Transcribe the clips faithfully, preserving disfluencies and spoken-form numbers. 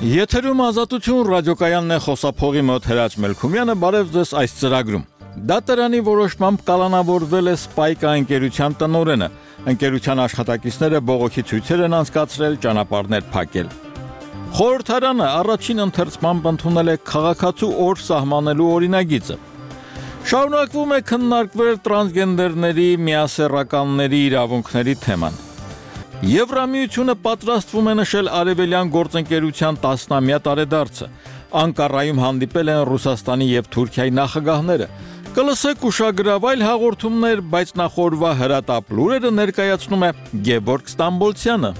Եթերում ազատություն ռադիոկայանն է խոսափողի մոտ Հրաչ Մելքումյանը, բարև ձեզ այս ծրագրում։ Դատարանի որոշմամբ կալանավորվել է Spike ընկերության տնօրենը։ Ընկերության աշխատակիցները բողոքի ցույցեր են անցկացրել, ճանապարհներ փակել։ Խորհրդարանը առաջին ընթերցմամբ ընդունել է քաղաքացու օր սահմանելու օրինագիծը։ Շարունակվում է քննարկվել տրանսգենդերների, միասեռականների իրավունքների թեման։ Եվրամիությունը պատրաստվում է նշել արևելյան գործընկերության տասնամյա տարեդարձը։ Անկարայում հանդիպել են Ռուսաստանի և Թուրքիայի նախագահները։ Կլսեք ուշագրավ այլ հաղորդումներ, բայց նախորվա հրատապ լուրերը ներկայացնում է Գևորգ Ստամբոլցյանը։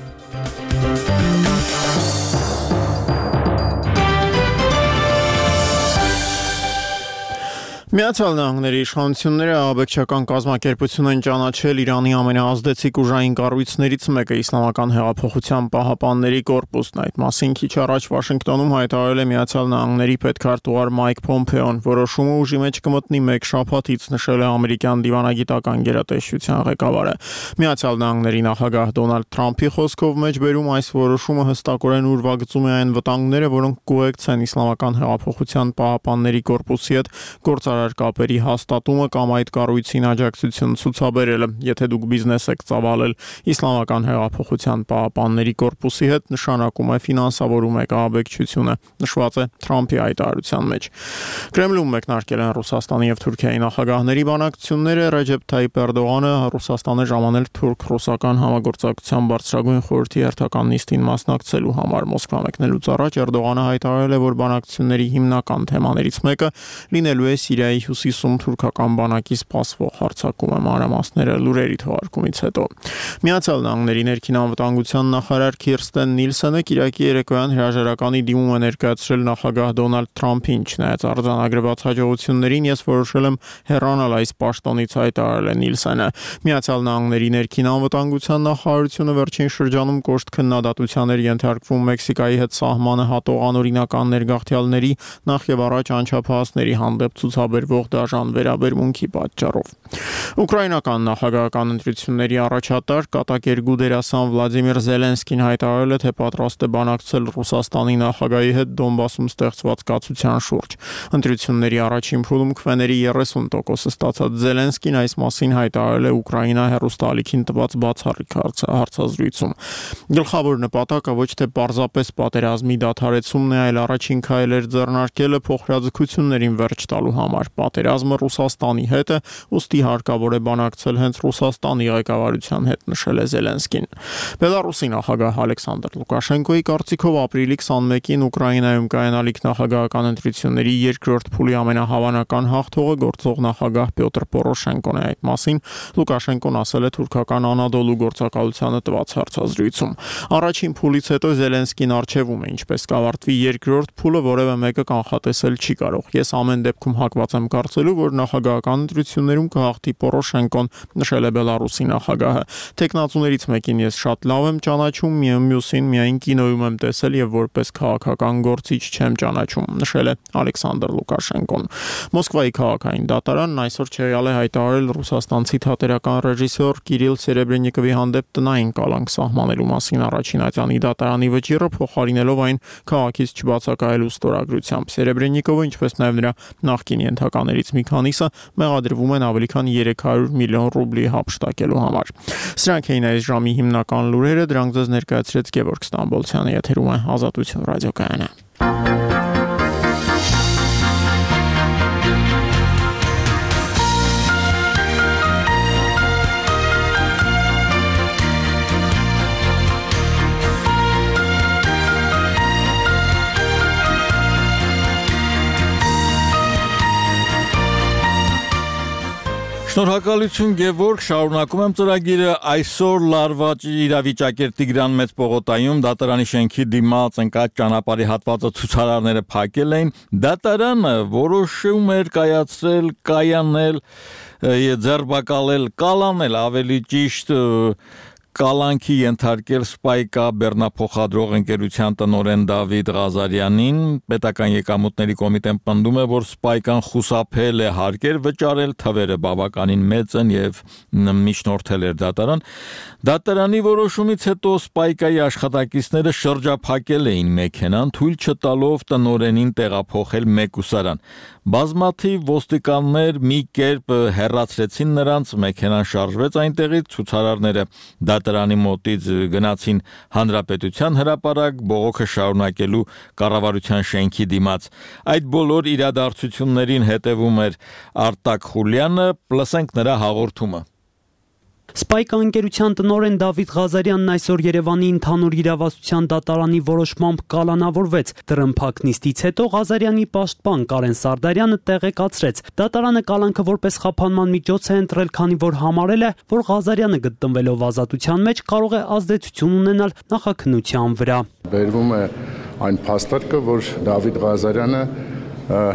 Միացյալ Նահանգների իշխանությունները ահաբեկչական կազմակերպություն են ճանաչել Իրանի ամենաազդեցիկ ուժային կառույցներից մեկը Իսլամական հեղափոխության պահապանների կորպուսն։ Այդ մասին քիչ առաջ Վաշինգտոնում հայտարարել է Միացյալ Նահանգների պետքարտուղար Մայք Փոմփեոն։ Որոշումը ուժի մեջ կմտնի մեկ շաբաթից, նշել է ամերիկյան դիվանագիտական գերատեսչության ղեկավարը։ Միացյալ Նահանգների նախագահ Դոնալդ Թրամփի խոսքով մեջբերում այս որոշումը հստակորեն ուրվագծում է այն վտանգները, որոնք կուղեկցեն Իսլամական հեղափոխության պահապանների կորպուսի հետ գործարար կապերի հաստատումը կամ այդ կառույցին աջակցություն ցուցաբերելը։ Եթե դուք բիզնես եք ծավալել Իսլամական հեղափոխության պահապանների կորպուսի հետ, նշանակում է ֆինանսավորում եք ահաբեկչությունը, նշված է Թրամփի հայտարարության մեջ։ Կրեմլում մեկնարկել են Ռուսաստանի և Թուրքիայի նախագահների բանակցությունները։ Ռեջեփ Թայիփ Էրդողանը Ռուսաստանը ժամանել թուրք-ռուսական համագործակցության բարձրագույն խորհրդի հերթական նիստին մասնակցելու համար։ Մոսկվա մեկնելուց առաջ Էրդողանը հայտարարել է, որ բանակցությունների հիմնական թեմաներից մեկը լինելու է Սիրիայի հյուսիսում թուրքական բանակի սպասվող հարձակումը։ Մանրամասները լուրերի թողարկումից հետո։ Միացյալ Նահանգների ներքին անվտանգության նախարար Քիրստեն Նիլսենը Կիրակի երեկոյան հրաժարականի դիմում է ներկայացրել նախագահ Դոնալդ Թրամփին։ Չնայած արձանագրված հաջողություններին, ես որոշել եմ հեռանալ այս պաշտոնից, հայտարարել է Նիլսենը։ Միացյալ Նահանգների ներքին անվտանգության նախարարությունը վերջին շրջանում կոշտ քննադատության էր ենթարկվում Մեքսիկայի հետ սահմանը հատող անօրինական ներգաղթյալների, նախ եւ առաջ անչափահասների հանդեպ ցուցաբերվող դաժան վերաբերմունքի պատճառով։ Ուկրաինական նախագահական ընտրությունների առաջատար կատակերգու դերասան Վլադիմիր Զելենսկին հայտարարել է, թե պատրաստ է բանակցել Ռուսաստանի նախագահի հետ Դոնբասում ստեղծված կացության շուրջ։ Ընտրությունների առաջին փուլում քվեների երեսուն տոկոսը ստացած Զելենսկին այս մասին հայտարարել է Ուկրաինա հեռուստաալիքին տված բացառիկ հարցազրույցում։ Գլխավոր նպատակը ոչ թե պարզապես պատերազմի դադարեցումն է, այլ առաջին քայլեր ձեռնարկելը փոխհրաձգություններին վերջ տալու համար։ Պատերազմը Ռուսաստանի հետ է, ուստի հարկավոր է բանակցել հենց Ռուսաստանի ղեկավարության հետ, նշել է Զելենսկին։ Բելարուսի նախագահ Ալեքսանդր Լուկաշենկոյի կարծիքով ապրիլի քսանմեկին Ուկրաինայում կայանալիք նախագահական ընտրությունների երկրորդ փուլի ամենահավանական հաղթողը գործող նախագահ Պյոտր Պորոշենկոն է։ Այդ մասին Լուկաշենկոն ասել է թուրքական Անադոլու գործակալությանը տված հարցազրույցում։ Առաջին փուլից հետո Զելենսկին արչեվում է, ինչպես կավարտվի երկրորդ փուլը, որևէ մեկը կանխատեսել չի կարող։ Ես ամեն դեպքում հակված եմ կարծելու, որ նախագահական ընտրություններում կհաղթի Պորոշենկոն, նշել է Բելարուսի նախագահը։ Տեխնացուներից մեկին ես շատ լավ եմ ճանաչում, մյուսին միայն կինոյում եմ տեսել եւ որպես քաղաքական գործիչ չեմ ճանաչում, նշել է Ալեքսանդր Լուկաշենկոն։ Մոսկվայի քաղաքային դատարանն այսօր չեղյալ է հայտարարել ռուսաստանցի թատերական ռեժիսոր Կիրիլ Սերեբրենիկովի հանդեպ տնային կալանք սահմանելու մասին առաջին ատյանի դատարանի վճիռը, փոխարինելով այն քաղաքից չբացակայելու ստորագրությամբ։ Սերեբրենիկովը, ինչպես նաեւ նրա նախկին ենթականերից մի քանիսը մեղադրվում են ավելի քան երեք հարյուր միլիոն ռուբլի հափշտակելու համար։ Սրանք էին այս ժամի հիմնական լուրերը, դրանք ձեզ ներկայացրեց Գևորգ Ստամբոլցյանը, եթերում է Ազատություն ռադիոկայանը։ Շնորհակալություն Գևորգ, շարունակում եմ ծրագիրը։ Այսօր Լարվաճի իրավիճակեր Տիգրան Մեծ պողոտայում դատարանի շենքի դիմաց ընկած ճանապարհի հատվածը ցուցարարները փակել էին։ Դատարանը որոշում էր կայացրել, կայանել, ձերբակալել, կալանել ավելի ճիշտ կալանքի ենթարկել Սպայկա բեռնափոխադրող ընկերության տնօրեն Դավիթ Ղազարյանին, պետական եկամուտների կոմիտեն պնդում է, որ Սպայկան խուսափել է հարկեր վճարել, թվերը բավականին մեծ են եւ միջնորդել էր դատարան։ Դատարանի որոշումից հետո Սպայկայի աշխատակիցները շրջափակել էին մեքենան, թույլ չտալով տնօրենին տեղափոխել մեկուսարան։ Բազմաթիվ ոստիկաններ մի կերպ հեռացրեցին նրանց, մեքենան շարժվեց այնտեղից, ցուցարարները դատարանի մոտից գնացին Հանրապետության հրապարակ բողոքը շարունակելու կառավարության շենքի դիմաց։ Այդ բոլոր իրադարձություններին հետևում էր Արտակ Խուլյանը, լսենք նրա հաղորդումը։ Սպայկա ընկերության տնօրեն Դավիթ Ղազարյանն այսօր Երևանի ընդհանուր իրավասության դատարանի որոշմամբ կալանավորվեց։ Տրմփակ նիստից հետո Ղազարյանի պաշտպան Կարեն Սարդարյանը տեղեկացրեց. դատարանը կալանքը որպես խափանման միջոց է ընտրել, քանի որ համարել է, որ Ղազարյանը գտնվելով ազատության մեջ կարող է ազդեցություն ունենալ նախաքննության վրա։ Բերվում է այն փաստարկը, որ Դավիթ Ղազարյանը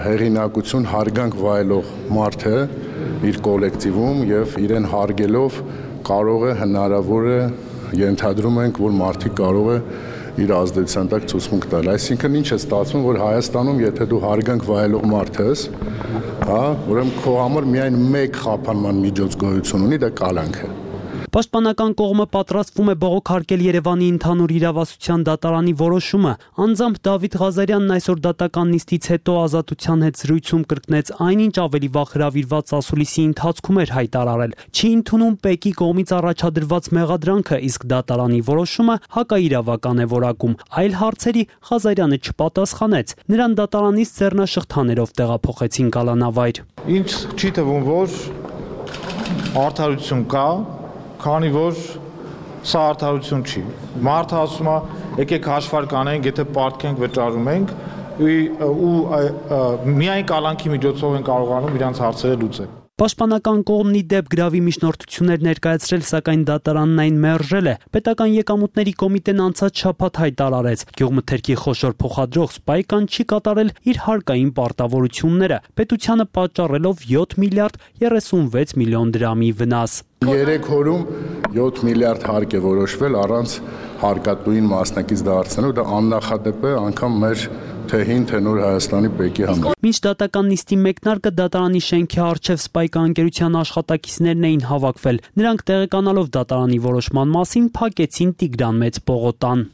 հեղինակություն հարգանք վայելող մարդ է իր կոլեկտիվում եւ իրեն հարգելով կարող է հնարավոր է ենթադրում ենք, որ մարդիկ կարող է իր ազդեցության տակ ցուցմունք տալ։ Այսինքն ինչ է ստացվում, որ Հայաստանում եթե դու հարգանք վայելող մարդ ես, հա, ուրեմն քո համար միայն մեկ խափանման միջոց գոյություն ունի, դա կալանք է։ Պաշտպանական կողմը պատրաստվում է բողոքարկել Երևանի ընդհանուր իրավասության դատարանի որոշումը։ Անձամբ Դավիթ Ղազարյանն այսօր դատական նիստից հետո ազատության հետ զրույցում կրկնեց այնինչ ավելի վաղ հրավիրված ասուլիսի ընթացքում էր հայտարարել։ Չի ընդունում ՊԵԿ-ի կողմից առաջադրված մեղադրանքը, իսկ դատարանի որոշումը հակաիրավական է որակում։ Այլ հարցերի Ղազարյանը չպատասխանեց։ Նրան դատարանից ձեռնաշղթաներով տեղափոխեցին կալանավայր։ Ինչ չի թվում, որ արդարություն կա, քանի որ սա արդարություն չի։ Մարդը ասում է, եկեք հաշվարկ անենք, եթե պարտքենք վճարում ենք, ու միայն կալանքի միջոցով են կարողանում իրանց հարցերը լուծել։ Պաշտպանական կողմն ի դեպ գրավի միջնորդություններ ներկայացրել, սակայն դատարանն այն մերժել է։ Պետական եկամուտների կոմիտեն անցած շաբաթ հայտարարեց, գյուղմթերքի խոշոր փոխադրող Սպայկան չի կատարել իր հարկային պարտավորությունները, պետությանը պատճառելով յոթ միլիարդ երեսունվեց միլիոն դրամի վնաս։ Երեք օրում յոթ միլիարդ հարկ է որոշվել առանց հարկատուին մասնակից դարձնելու, դա աննախադեպ է անգամ մեր թե հին, թե նոր Հայաստանի ՊԵԿ-ի համար։ Մինչ դատական նիստի մեկնարկը դատարանի շենքի առջև Սպայկա ընկերության աշխատակիցներն էին հավաքվել։ Նրանք տեղեկանալով դատարանի որոշման մասին փակեցին Տիգրան Մեծ պողոտան։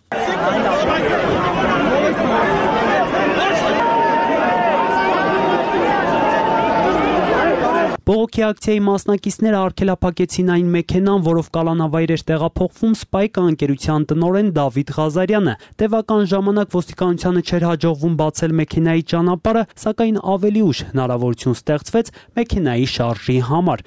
Բողոքի ակցիայի մասնակիցները արգելափակեցին այն մեքենան, որով կալանավայր էր տեղափոխվում Սպայկա ընկերության տնօրեն Դավիթ Ղազարյանը։ Տևական ժամանակ ոստիկանությանը չէր հաջողվում բացել մեքենայի ճանապարհը, սակայն ավելի ուշ հնարավորություն ստեղծվեց մեքենայի շարժի համար։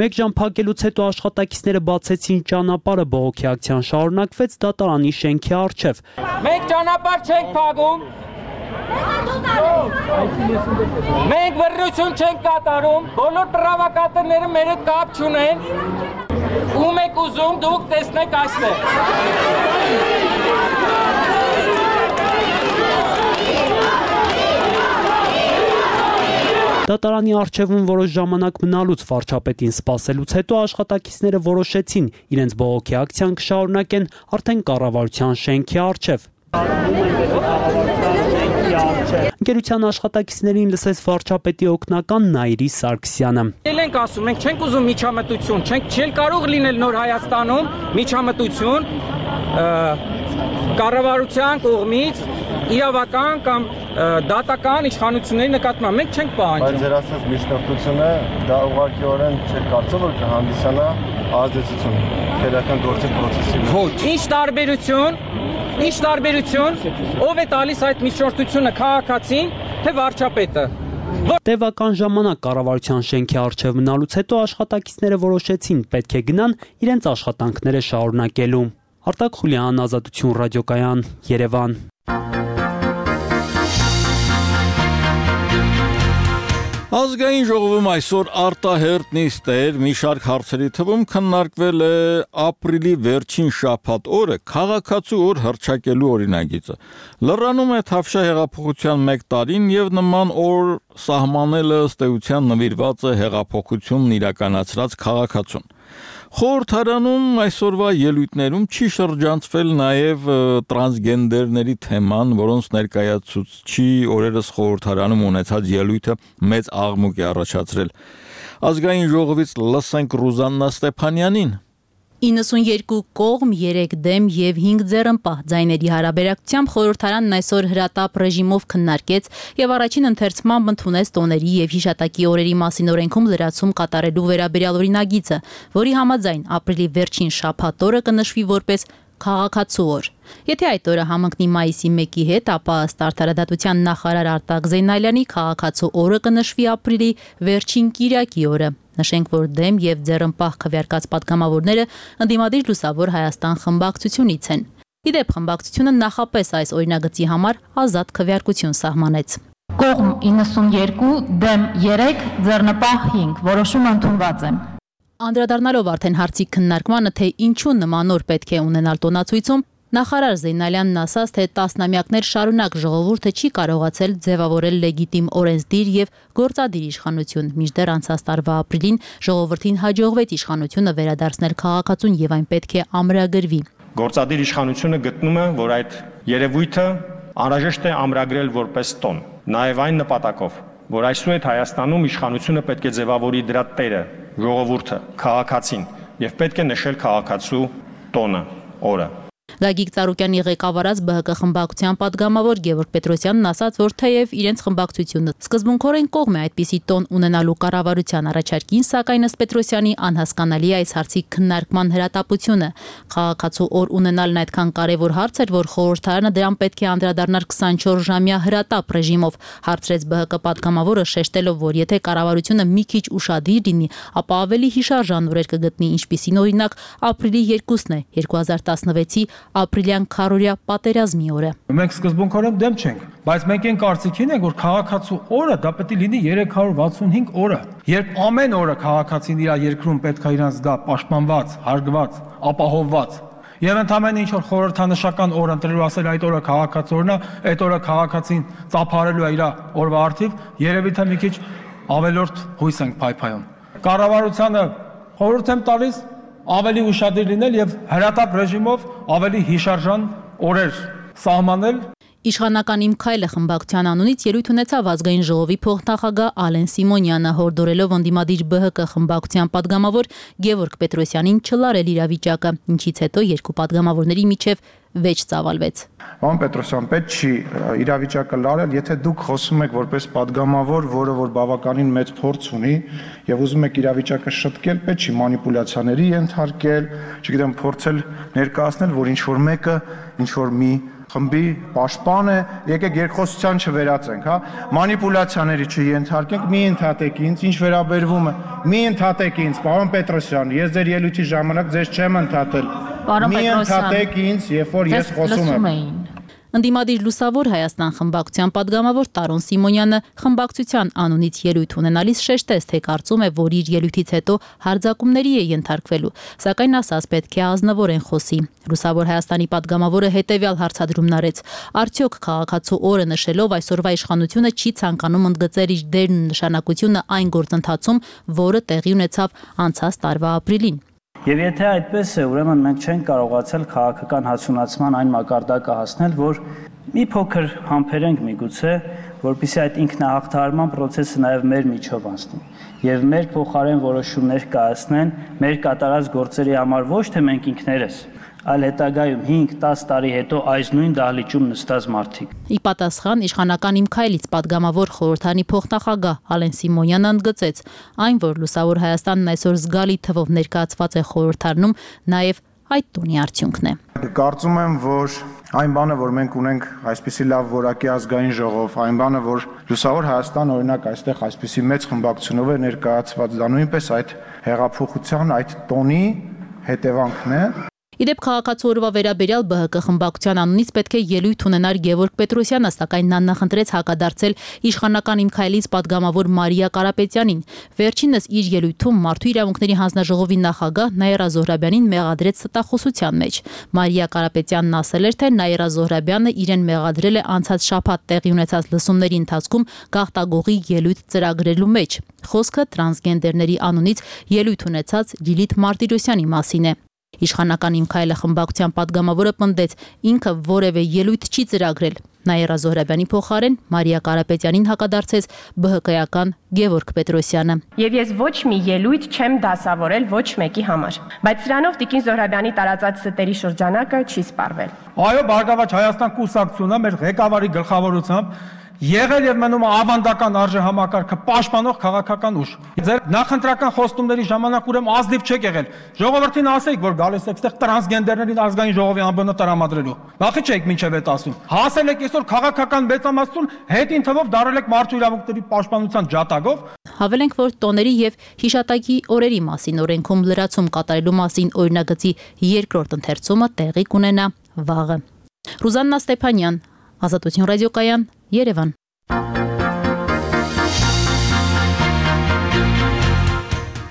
Մեկ ժամ փակելուց հետո աշխատակիցները բացեցին ճանապարհը, բողոքի ակցիան շարունակվեց դատարանի շենքի առջև։ Մենք ճանապարհ չենք փակում։ Մենք վրրություն չենք կատարում, բոլոր պրովոկատորները մեր հետ կապ չունեն։ Ում եք ուզում, դուք տեսնեք այստեղ։ Դատարանի առջևում որոշ ժամանակ մնալուց վարչապետին սպասելուց հետո աշխատակիցները որոշեցին իրենց բողոքի ակցիան կշարունակեն արդեն կառավարության շենքի առջև։ Ընկերության աշխատակիցներին լսեց վարչապետի օգնական Նայիրի Սարգսյանը։ Էլ ենք ասում, մենք չենք ուզում միջամտություն, չենք չել կարող լինել նոր Հայաստանում միջամտություն կառավարության կողմից իրավական կամ դատական իշխանությունների նկատմամբ մենք չենք պահանջում։ Բայց ձեր ասած միջնորդությունը դա ուղղակիորեն չէ կարծում, որ կհանդիսանա ազդեցություն քրեական գործի process-ի վրա։ Ոչ, ինչ տարբերություն, ինչ տարբերություն, ով է տալիս այդ միջնորդությունը, քաղաքացին, թե վարչապետը։ Տևական ժամանակ կառավարության շենքի առջև մնալուց հետո աշխատակիցները որոշեցին պետք է գնան իրենց աշխատանքները շարունակելու։ Արտակ Խուլյան, Ազատություն ռադիոկայան, Երևան։ Ազգային ժողովում այսօր արտահերտ նիստեր մի շարք հարցերի թվում քննարկվել է ապրիլի վերջին շաբաթ օրը քաղաքացու օր հռչակելու օրինագիծը։ Լրանում է Թավշյա հեղափոխության մեկ տարին եւ նման օր սահմանելը ըստ էության նվիրված է հեղափոխությունն իրականացրած քաղաքացուն։ Խորհրդարանում այսօրվա ելույթներում չի շրջանցվել նաև տրանսգենդերների թեման, որոնց ներկայացուցչի օրերս խորհրդարանում ունեցած ելույթը մեծ աղմուկ է առաջացրել։ Ազգային ժողովից լսենք Ռուզաննա Ստեփանյանին։ իննսունյերկու կողմ, երեք դեմ եւ հինգ ձեռնպահ ձայների հարաբերակցությամբ խորհրդարանն այսօր հրատապ ռեժիմով քննարկեց եւ առաջին ընթերցմամբ ընդունեց տոների եւ հիշատակի օրերի մասին օրենքում լրացում կատարելու վերաբերյալ օրինագիծը, որի համաձայն ապրիլի վերջին շաբաթ օրը կնշվի որպես քաղաքացու օր։ Եթե այդ օրը համընկնի մայիսի մեկի հետ, ապա ըստ Արդարադատության նախարար Արտակ Զեյնալյանի քաղաքացու օրը կնշվի ապրիլի վերջին կիրակի օրը։ Նշենք, որ դեմ եւ ձեռնպահ քվեարկած պատգամավորները ընդդիմադիր Լուսավոր Հայաստան խմբակցությունից են։ Իդեպ խմբակցությունը նախապես այս օրինագծի համար ազատ քվեարկություն սահմանեց։ Կողմ իննսունյերկու, դեմ երեք, ձեռնպահ հինգ, որոշումը ընդունված է։ Անդրադառնալով արդեն հարցի քննարկմանը, թե ինչու նման օր պետք է ունենալ տոնացույցում, նախարար Զեյնալյանն ասաց, թե տասնամյակներ շարունակ ժողովուրդը չի կարողացել ձևավորել լեգիտիմ օրենսդիր եւ գործադիր իշխանություն, մինչդեռ անցած տարվա ապրիլին ժողովրդին հաջողվեց իշխանությունը վերադարձնել քաղաքացուն եւ այն պետք է ամրագրվի։ Գործադիր իշխանությունը գտնում է, որ այդ երևույթը անհրաժեշտ է ամրագրել որպես տոն, նաեւ այն նպատակով, որ այսուհետ Հայաստանում իշխանությունը պետք է ձևավորի դրա տերը, ժողովուրդը, քաղաքացին եւ պետք է նշել քաղաքացու տոնը, օրը։ Գագիկ Ծառուկյանի ղեկավարած ԲՀԿ խմբակցության պատգամավոր Գևորգ Պետրոսյանն ասաց, որ թեև իրենց խմբակցությունը սկզբունքորեն կողմ է այդպիսի տոն ունենալու կառավարության առաջարկին, սակայն ըստ Պետրոսյանի անհասկանալի է այս հարցի քննարկման հրատապությունը։ Քաղաքացու օր ունենալն այդքան կարևոր հարց էր, որ խորհրդարանը դրան պետք է անդրադառնար քսանչորս ժամյա հրատապ ռեժիմով, հարցրեց ԲՀԿ պատգամավորը, շեշտելով, որ եթե կառավարությունը մի քիչ ուշադիր լինի, ապա ավելի հիշարժան օրեր կգտնի, ինչպիսին օրինակ ապրիլի երկուսն է, երկու հազար տասնվեցի ապրիլյան քարորյա պատերազմի օրը։ Մենք սկզբունքորեն դեմ չենք, բայց մենք այն կարծիքին ենք, որ քաղաքացու օրը դա պետք է լինի երեք հարյուր վաթսունհինգ օրը, երբ ամեն օրը քաղաքացին իր երկրում պետք է իրենց զգա պաշտպանված, հարգված, ապահովված։ Եվ ընդամենը ինչ որ խորհրդանշական օր ընտրելու ասել այդ օրը քաղաքացու օրն է, այդ օրը քաղաքացին ծափարելու է իր օրվա արդիվ, երևի թե մի քիչ ավելորդ հույս ենք փայփայում։ Կառավարությանը խորհուրդ եմ տալիս ավելի ուշադիր լինել եւ հրատապ ռեժիմով ավելի հիշարժան օրեր սահմանել։ Իշխանական Իմ քայլը խմբակցության անունից ելույթ ունեցավ ազգային ժողովի փոխնախագահ Ալեն Սիմոնյանը, հորդորելով ընդդիմադիր ԲՀԿ խմբակցության պատգամավոր Գևորգ Պետրոսյանին չլարել իրավիճակը, ինչից հետո երկու պատգամավորների միջև վեճ ծավալվեց։ Պարոն Պետրոսյան, պետք չի իրավիճակը լարել, եթե դուք խոսում եք որպես պատգամավոր, որը որ բավականին մեծ փորձ ունի եւ ուզում եք իրավիճակը շտկել, պետք չի մանիպուլյացիաների ենթարկել, չգիտեմ, փորձել ներկայացնել, որ ինչ որ մեկը, ինչ որ մի խմբի պաշտպան է, եկեք երկխոսության չվերածենք, հա, մանիպուլյացիաների չենթարկենք, մի ընդհատեք ինձ, ինչ վերաբերվում է, մի ընդհատեք ինձ, պարոն Պետրոսյան, ես ձեր ելույթի ժամանակ ձեզ չեմ ընդհատել, մի ընդհատեք ինձ, երբ որ ես խոսում եմ։ Ընդդիմադիր Լուսավոր Հայաստան խմբակցության պատգամավոր Տարոն Սիմոնյանը խմբակցության անունից ելույթ ունենալիս շեշտեց, թե կարծում է, որ իր ելույթից հետո հարձակումների է ենթարկվելու, սակայն ասաց պետք է ազնվորեն խոսի։ Լուսավոր Հայաստանի պատգամավորը հետևյալ հարցադրումն արեց. արդյոք քաղաքացու օրը նշելով այսօրվա իշխանությունը չի ցանկանում ընդգծել իր դերն ու նշանակությունը այն գործընթացում, որը տեղի ունեցավ անցած տարվա ապրիլին։ Եվ եթե այդպես է, ուրեմն մենք չենք կարողացել քաղաքական հասունացման այն մակարդակը հասնել, որ մի փոքր համբերենք միգուցե, որպեսզի այդ ինքնահաղթահարման process-ը նաև մեր միջով անցնի եւ մեր փոխարեն որոշումներ կայացնեն մեր կատարած գործերի համար, ոչ թե մենք ինքներս, այլ հետագայում հինգ տաս տարի հետո այս նույն դահլիճում նստած մարդիկ։ Ի պատասխան իշխանական Իմ քայլից պատգամավոր խորհրդանի փոխնախագահ Ալեն Սիմոնյանը ընդգծեց, այն որ Լուսավոր Հայաստանն այսօր զգալի թվով ներկայացված է խորհրդարանում, նաև այդ տոնի արդյունքն է։ Կարծում եմ, որ այն բանը, որ մենք ունենք այսպիսի լավ որակի ազգային ժողով, այն բանը, որ Լուսավոր Հայաստան օրինակ այստեղ այսպիսի մեծ խմբակցությունով է ներկայացված, դա նույնպես այդ հեղափոխության, այդ տոնի հետևանքն է։ Իդեպ քաղաքացու օրվա վերաբերյալ Բ Հ Կ խմբակցության անունից պետք է ելույթ ունենար Գևորգ Պետրոսյանը, սակայն նա նախընտրեց հակադարձել իշխանական Իմ Քայլից падգամավոր Մարիա Կարապետյանին։ Վերջինս իր ելույթում Մարդու իրավունքների հանձնաժողովի նախագահ Նաիրա Զոհրաբյանին մեղադրեց ստախոսության մեջ։ Մարիա Կարապետյանն ասել էր, թե Նաիրա Զոհրաբյանը իրեն մեղադրել է անցած շաբաթ տեղի ունեցած լսումների ընթացքում գաղտագողի ելույթ ծրագրելու մեջ։ Խոսքը տրանսգենդերների անունից ելույթ ունեցած Լիլիթ Մարտիրոսյանի մասին է։ Իշխանական Իմ Քայլը խմբակցության падգամավորը պնդեց, ինքը որևէ ելույթ չի ծրագրել։ Նաիրա Զոհրաբյանի փոխարեն Մարիա Կարապետյանին հակադարձեց Բ Հ Կ-ական Գևորգ Պետրոսյանը։ Եվ ես ոչ մի ելույթ չեմ դասավորել ոչ մեկի համար, բայց սրանով Տիկին Զոհրաբյանի տարածած ստերի շրջանակը չի սպառվել։ Այո, Բարգավաճ Հայաստան կուսակցությունը մեր ղեկավարի գլխավորությամբ եղել եւ մնում ավանդական արժե համակարգը պաշտպանող քաղաքական ուժ։ Ձեր նախընտրական խոստումների ժամանակ ուրեմն ազնիվ չեք եղել։ Ժողովրդին ասեք, որ գալիս եք այստեղ տրանսգենդերներին ազգային ժողովի անբնը տրամադրելու։ Բախի չեք մինչև այդ ասում։ Հասել եք այսօր քաղաքական մեծամասնություն հետին թվով դարել եք մարդու իրավունքների պաշտպանության ջատագով։ Հավելենք, որ տոների եւ հիշատակի օրերի մասին օրենքում լրացում կատարելու մասին օրինագծի երկրորդ ընթերցումը տեղի կունենա վաղը։ Ռուզաննա Ստեփանյան, Ազատություն ռադիոկայան, Երևան։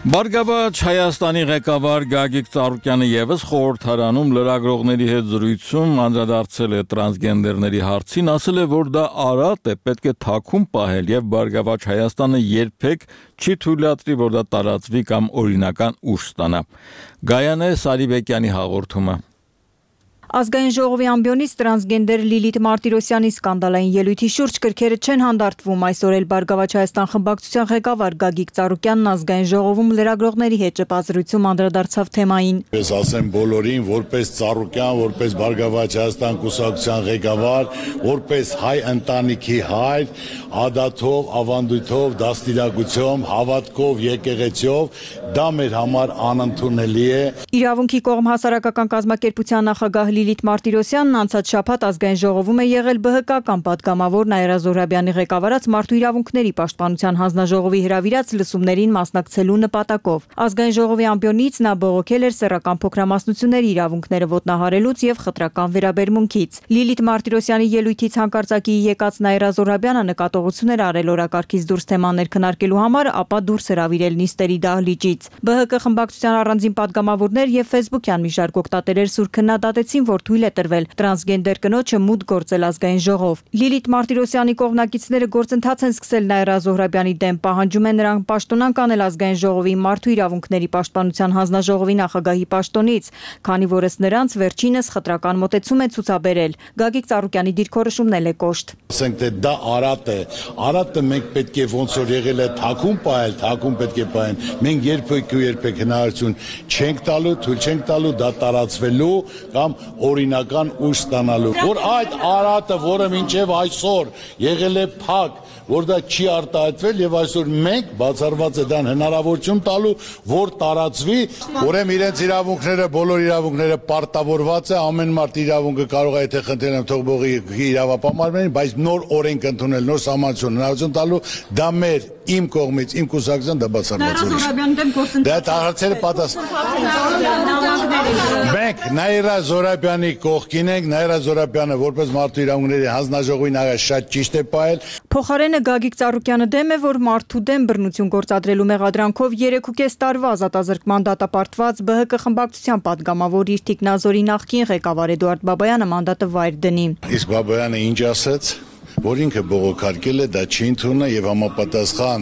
Բարգավաճ Հայաստանի ղեկավար Գագիկ Ծառուկյանը եւս խորհրդարանում լրագրողների հետ զրույցում անդրադարձել է տրանսգենդերների հարցին, ասել է, որ դա արատ է, պետք է թաքուն պահել եւ Բարգավաճ Հայաստանը երբեք չի թույլատրի, որ դա տարածվի կամ օրինական ուժ ստանա։ Գայանե Սարիբեկյանի հաղորդումը։ Ազգային ժողովի ամբիոնից տրանսգենդեր Լիլիթ Մարտիրոսյանի սկանդալային ելույթի շուրջ կրքերը չեն հանդարտվում։ Այսօր էլ Բարգավաճ Հայաստան խմբակցության ղեկավար Գագիկ Ծառուկյանն ազգային ժողովում լրագրողների հետ ճպազրույցում անդրադարձավ թեմային։ Ես ասեմ բոլորին, որպես Ծառուկյան, որպես Բարգավաճ Հայաստան կուսակցության ղեկավար, որպես հայ ընտանիքի հայր, ադաթով, ավանդույթով, դաստիարակությամբ, հավատքով, եկեղեցիով, դա մեր համար անընդունելի է։ Իրավունքի կողմ հասարակական կազմակերպության նախագահ Լիլիթ Մարտիրոսյանն անցած շաբաթ ազգային ժողովում է եղել Բ Հ Կ-ական падգամավոր Նաիրա Զոհրաբյանի ղեկավարած Մարդու իրավունքների պաշտպանության հանձնաժողովի հրավիրած լսումներին մասնակցելու նպատակով։ Ազգային ժողովի ամբիոնից նա բողոքել էր սեռական փոքրամասնությունների իրավունքները ոտնահարելուց եւ խտրական վերաբերմունքից։ Լիլիթ Մարտիրոսյանի ելույթից հանկարծակի եկած Նաիրա Զոհրաբյանը նկատողություն էր արել օրակարգից դուրս թեմաներ քննարկելու համար, ապա դուրս հրավիրել նիստերի դահլիճից։ Բ Հ Կ խմբակցության առանձին падգամավորներ եւ ֆեյսբուքյան մի շարք օգտատերեր սուր քննադատեցին, որ թույլ է տրվել տրանսգենդեր կնոջը մուտք գործել ազգային ժողով։ Լիլիթ Մարտիրոսյանի կողմնակիցները գործընթաց են սկսել Նաիրա Զոհրաբյանի դեմ, պահանջում են նրան պաշտոնանկ անել ազգային ժողովի Մարդու իրավունքների պաշտպանության հանձնաժողովի նախագահի պաշտոնից, քանի որ ըստ նրանց վերջինս խտրական մոտեցում է ցուցաբերել։ Գագիկ Ծառուկյանի դիրքորոշումն էլ է կոշտ։ Ասենք թե դա արատ է, արատը մենք պետք է ոնց որ եղել է թաքուն պահել, թաքուն պետք է պահեն։ Մենք երբեք ու երբեք հնարավորություն չենք տալու, թույլ չենք տալու դա տարածվելու կամ օրինական ուժ ստանալու, որ այդ արատը, որը մինչև այսօր եղել է փակ, որ դա չի արտահայտվել եւ այսօր մենք բացառված է դան հնարավորություն տալու, որ տարածվի, ուրեմն իրենց իրավունքները, բոլոր իրավունքները պարտավորված է, ամեն մարդ իրավունքը կարող է եթե խնդրել եմ թող բողի իրավապահարներին, բայց նոր օրենք ընդունել, նոր սահմանություն հնարավորություն տալու, դա մեր իմ կողմից, իմ կուսակցության դա բացառված է։ Դա հարցերը պատասխան։ Մենք Նաիրա Զոհրաբյանի կողքին ենք, Նաիրա Զոհրաբյանը որպես Մարդու իրավունքների հանձնաժողովի նախագահ շատ ճիշտ է պահել։ Փոխարենը Գագիկ Ծառուկյանը դեմ է, որ մարդու դեմ բռնություն գործադրելու մեղադրանքով երեք ու կես տարվա ազատազրկման դատապարտված Բ Հ Կ խմբակցության падգամավոր իր թիկնազորի նախկին ղեկավար Էդուարդ Բաբայանը մանդատը վայր դնի։ Իսկ Բաբայանը ինչ ասաց, որ ինքը բողոքարկել է, դա չի ընդունել եւ համապատասխան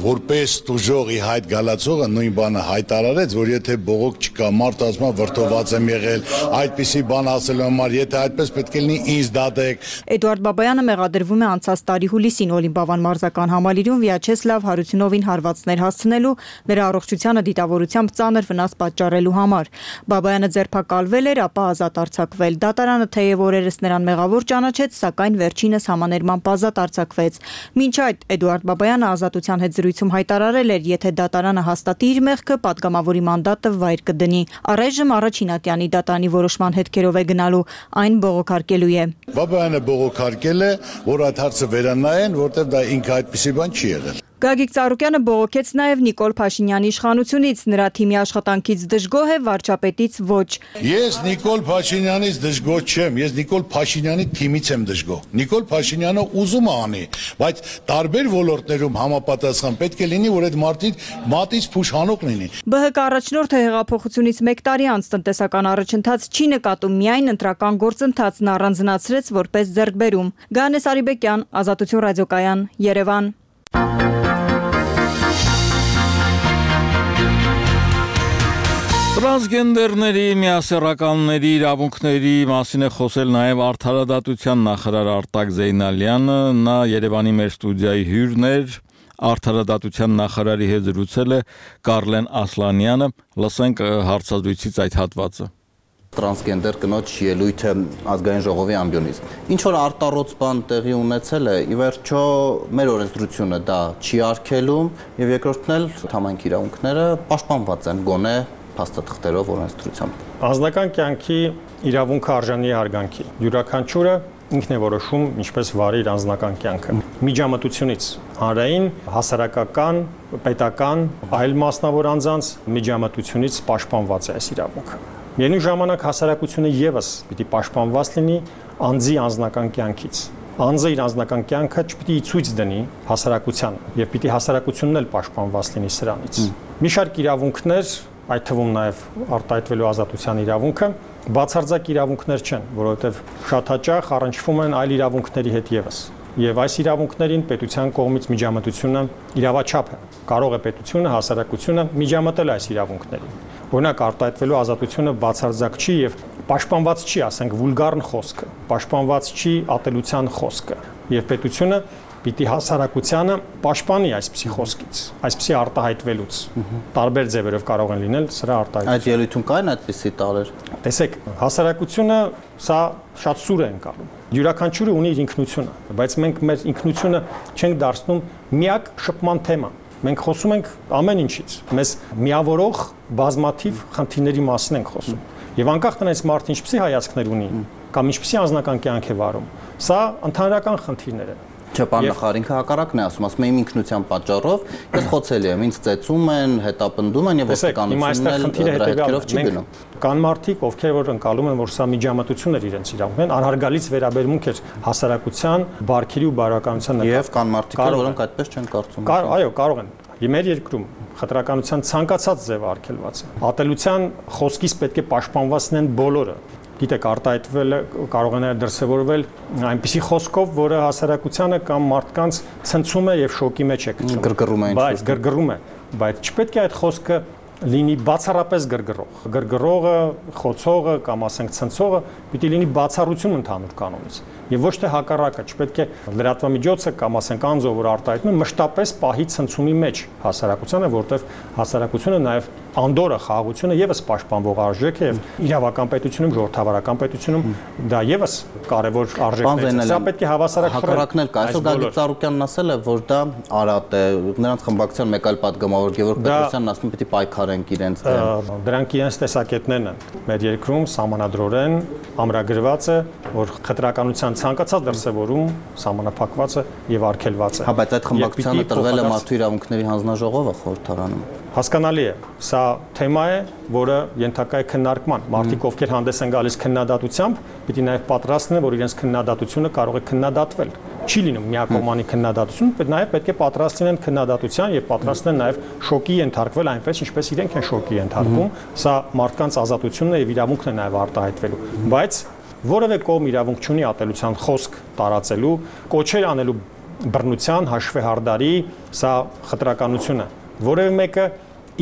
որպես տուժողի հայտ գալացողը նույն բանը հայտարարեց, որ եթե բողոք չկա, մարդ ասում է վրդոված եմ եղել, այդպիսի բան ասելու համար, եթե այդպես պետք է լինի, ինձ դատեք։ Էդուարդ Բաբայանը մեղադրվում է անցած տարի հուլիսին Օլիմպիավան մարզական համալիրում Վիաչեսլավ Հարությունովին հարվածներ հասցնելու, նրա առողջությանը դիտավորությամբ ծանր վնաս պատճառելու համար։ Բաբայանը ձերբակալվել էր, ապա ազատ արձակվել։ Դատարանը թեև օրերս նրան մեղավոր ճանաչեց, սակայն վերջինս համաներման ազատ արձակվեց։ Մինչ այդ Էդուարդ Բաբայանը ազատության հետ զրույցում հայտարարել էր, եթե դատարանը հաստատի իր մեղքը, падգամավորի մանդատը վայր կդնի։ Առայժմ առաջին ատյանի դատարանի որոշման հետքերով է գնալու, այն բողոքարկելու է։ Բաբայանը բողոքարկել է, որ այդ հարցը վերանայեն, որտեղ դա ինքը այդպիսի բան չի եղել։ Գագիկ Ծառուկյանը բողոքեց նաև Նիկոլ Փաշինյանի իշխանությունից, նրա թիմի աշխատանքից դժգոհ է, վարչապետից ոչ։ Ես Նիկոլ Փաշինյանից դժգոհ չեմ, ես Նիկոլ Փաշինյանի թիմից եմ դժգոհ։ Նիկոլ Փաշինյանը ուզում է անի, բայց տարբեր ոլորտներում համապատասխան պետք է լինի, որ այդ մարդիկ մատից փուշանոկ լինի։ ԲՀԿ առաջնորդը հեղափոխությունից մեկ տարի անց տնտեսական առաջընթաց չի նկատում, միայն ընտրական գործընթացն առանձնացրեց որպես ձեռքբերում։ Գանես Արիբեկյան, Ազատություն ռադիոկայան, Երևան։ Տրանսգենդերների, միասեռականների իրավունքների մասին է խոսել նաև Արդարադատության նախարար Արտակ Զեյնալյանը, նա Երևանի մեր ստուդիայի հյուրն էր, Արդարադատության նախարարի հետ զրուցել է Կարլեն Ասլանյանը, լսենք հարցազրույցից այդ հատվածը։ Տրանսգենդեր կնոջ ելույթը ազգային ժողովի ամբիոնից։ Ինչ որ արտառոց բան տեղի ունեցել է, ի վերջո մեր օրենսդրությունը դա չի արգելում, եւ երկրորդն էլ համայնքի իրավունքները պաշտպանված են գոնե փաստաթղթերով օրենսդրությամբ։ Անձնական կյանքի իրավունքը արժանի է հարգանքի։ Յուրաքանչյուրը ինքն է որոշում ինչպես վարի իր անձնական կյանքը։ Միջամտությունից հանրային, հասարակական, պետական, այլ մասնավոր անձանց միջամտությունից պաշտպանված է այս իրավունքը։ Միևնույն ժամանակ հասարակությունը եւս պիտի պաշտպանված լինի անձի անձնական կյանքից։ Անձը իր անձնական կյանքը չպիտի ցույց դնի հասարակությանը եւ պիտի հասարակությունն էլ պաշտպանված լինի սրանից։ Մի շարք իրավունքներ, այդ թվում նաեւ արտահայտվելու ազատության իրավունքը, բացարձակ իրավունքներ չեն, որովհետեւ շատ հաճախ առնչվում են այլ իրավունքների հետ եւս։ Եվ այս իրավունքներին պետության կողմից միջամտությունը իրավաչափ է։ Կարող է պետությունը, հասարակությունը միջամտել այս իրավունքներին։ Օրինակ արտահայտվելու ազատությունը բացարձակ չի եւ պաշտպանված չի, ասենք, վուլգարն խոսքը, պաշտպանված չի ատելության խոսքը։ Եվ պետությունը պիտի հասարակությանը պաշտպանի այսպիսի խոսքից, այսպիսի արտահայտվելուց։ Տարբեր ձևերով կարող են լինել սրա արտահայտությունը։ Այդ ելույթում կային այդպիսի տարեր։ Տեսեք, հասարակությունը սա շատ սուր է ընկալում։ Յուրաքանչյուրը ունի իր ինքնությունը, բայց մենք մեր ինքնությունը չենք դարձնում միակ շփման թեմա։ Մենք խոսում ենք ամեն ինչից։ Մեզ միավորող բազմաթիվ խնդիրների մասին ենք խոսում։ Եվ անկախ տնից մարդը ինչպիսի հայացքներ ունի կամ ինչպիսի անձնական կյանք է վարում, սա ընդհանրական խնդիրներ են։ Չէ, պարոն նախարար, ինքը հակառակն է ասում, ասում է իմ ինքնության պատճառով ես խոցելի եմ, ինձ ծեծում են, հետապնդում են եւ ոստիկանությունն էլ հետքերով չի գնում։ Կան մարդիկ, ովքեր որ ընկալում են, որ սա միջամտություն էր իրենց իրավունքներն, անհարգալից վերաբերմունք էր հասարակության, բարքերի ու բարոյականության նկատմամբ։ Եվ կան մարդիկ, որոնք այդպես չեն կարծում։ Այո, կարող են։ Մեր երկրում խտրականության ցանկացած ձև արգելված է։ Ատելության խոսքից պետք է պաշտպանված լինեն բոլորը։ Գիտեք, արտահայտվել կարող է դրսևորվել այնպիսի խոսքով, որը հասարակությանը կամ մարդկանց ցնցում է եւ շոկի մեջ է գցում։ Գրգռում է ինչ-որ։ Բայց գրգռում է, բայց չպետք է այդ խոսքը լինի բացառապես գրգռող։ Գրգռողը, խոցողը կամ ասենք ցնցողը պիտի լինի բացառություն ընդհանուր կանոնից։ Եվ ոչ թե հակառակը, չպետք է լրատվամիջոցը կամ ասենք անձը, որ արտահայտում է, մշտապես պահի ցնցումի մեջ հասարակությանը, որտեղ հասարակությունը նաև անդորը, խաղաղությունը եւս պաշտպանվող արժեք է եւ իրավական պետությունում, ժողովրդավարական պետությունում դա եւս կարեւոր արժեքներ է։ Սա պետք է հավասարակ հակառակն էլ կա։ Այսօր Գագիկ Ծառուկյանն ասել է, որ դա արատ է, նրանց խմբակցության մեկ այլ պատգամավոր Գևորգ Պետրոսյանն ասում է, պիտի պայքարենք իրենց դեմ։ Դրանք իրենց տեսակետներն են։ Մեր երկրում սահմանադրորեն ամրագրված է, որ խտրականության ցանկացած դրսևորում սահմանափակված է եւ արգելված է։ Հա, բայց այդ խմբակցությանը տրվել է մարդու իրավունքների հանձնաժողովը խորհրդարանում։ Հասկանալի է, սա թեմա է, որը ենթակա է քննարկման։ Մարդիկ, ովքեր հանդես են գալիս քննադատությամբ, պիտի նաև պատրաստ լինեն, որ իրենց քննադատությունը կարող է քննադատվել։ Չի լինում միակողմանի քննադատություն, բայց նաև պետք է պատրաստ լինեն քննադատության եւ պատրաստ լինեն նաև շոկի ենթարկվել այնպես, ինչպես իրենք են շոկի ենթարկում։ Սա մարդկանց ազատությունն է եւ իրավունքն է նաև արտահայտվելու։ Բայց որևէ կողմ իրավունք չունի ատելության խոսք տարածելու, կոչեր անելու բռնության, հաշվեհարդարի, սա խտրականություն է։ Որևէ մեկը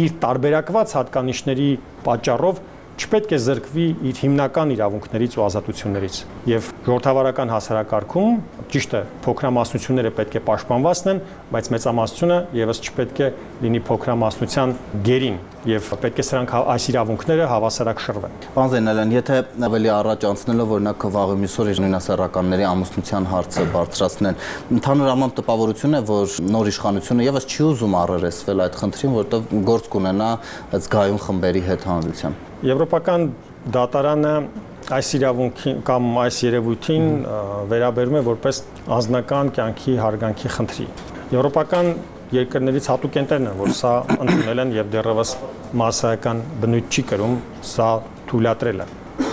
իր տարբերակված հատկանիշների պատճառով չպետք է զրկվի իր հիմնական իրավունքներից ու ազատություններից։ Եվ ժողովրդավարական հասարակարգում ճիշտ է, փոքրամասնությունները պետք է պաշտպանված լինեն, բայց մեծամասնությունը եւս չպետք է լինի փոքրամասնության գերին եւ պետք է սրանք այս իրավունքները հավասարակ շռվեն։ Պարոն Զեյնալյան, եթե ավելի առաջ անցնելով օրինակ վաղը մյուսօր նույնասեռականների ամուսնության հարցը բարձրացնեն, ընդհանուր առմամբ տպավորություն է, որ նոր իշխանությունը եւս չի ուզում առերեսվել այդ խնդրին, որտեղ գործ կունենա զգայուն խմբերի հետ հանրության։ Եվրոպական դատարանը այս իրավունքին կամ այս երևույթին վերաբերում է որպես անձնական կյանքի հարգանքի խնդրի։ Եվրոպական երկրներից հատուկ ընտերն են, որ սա ընդունել են եւ դեռևս մասսայական բնույթ չի կրում սա թույլատրելը։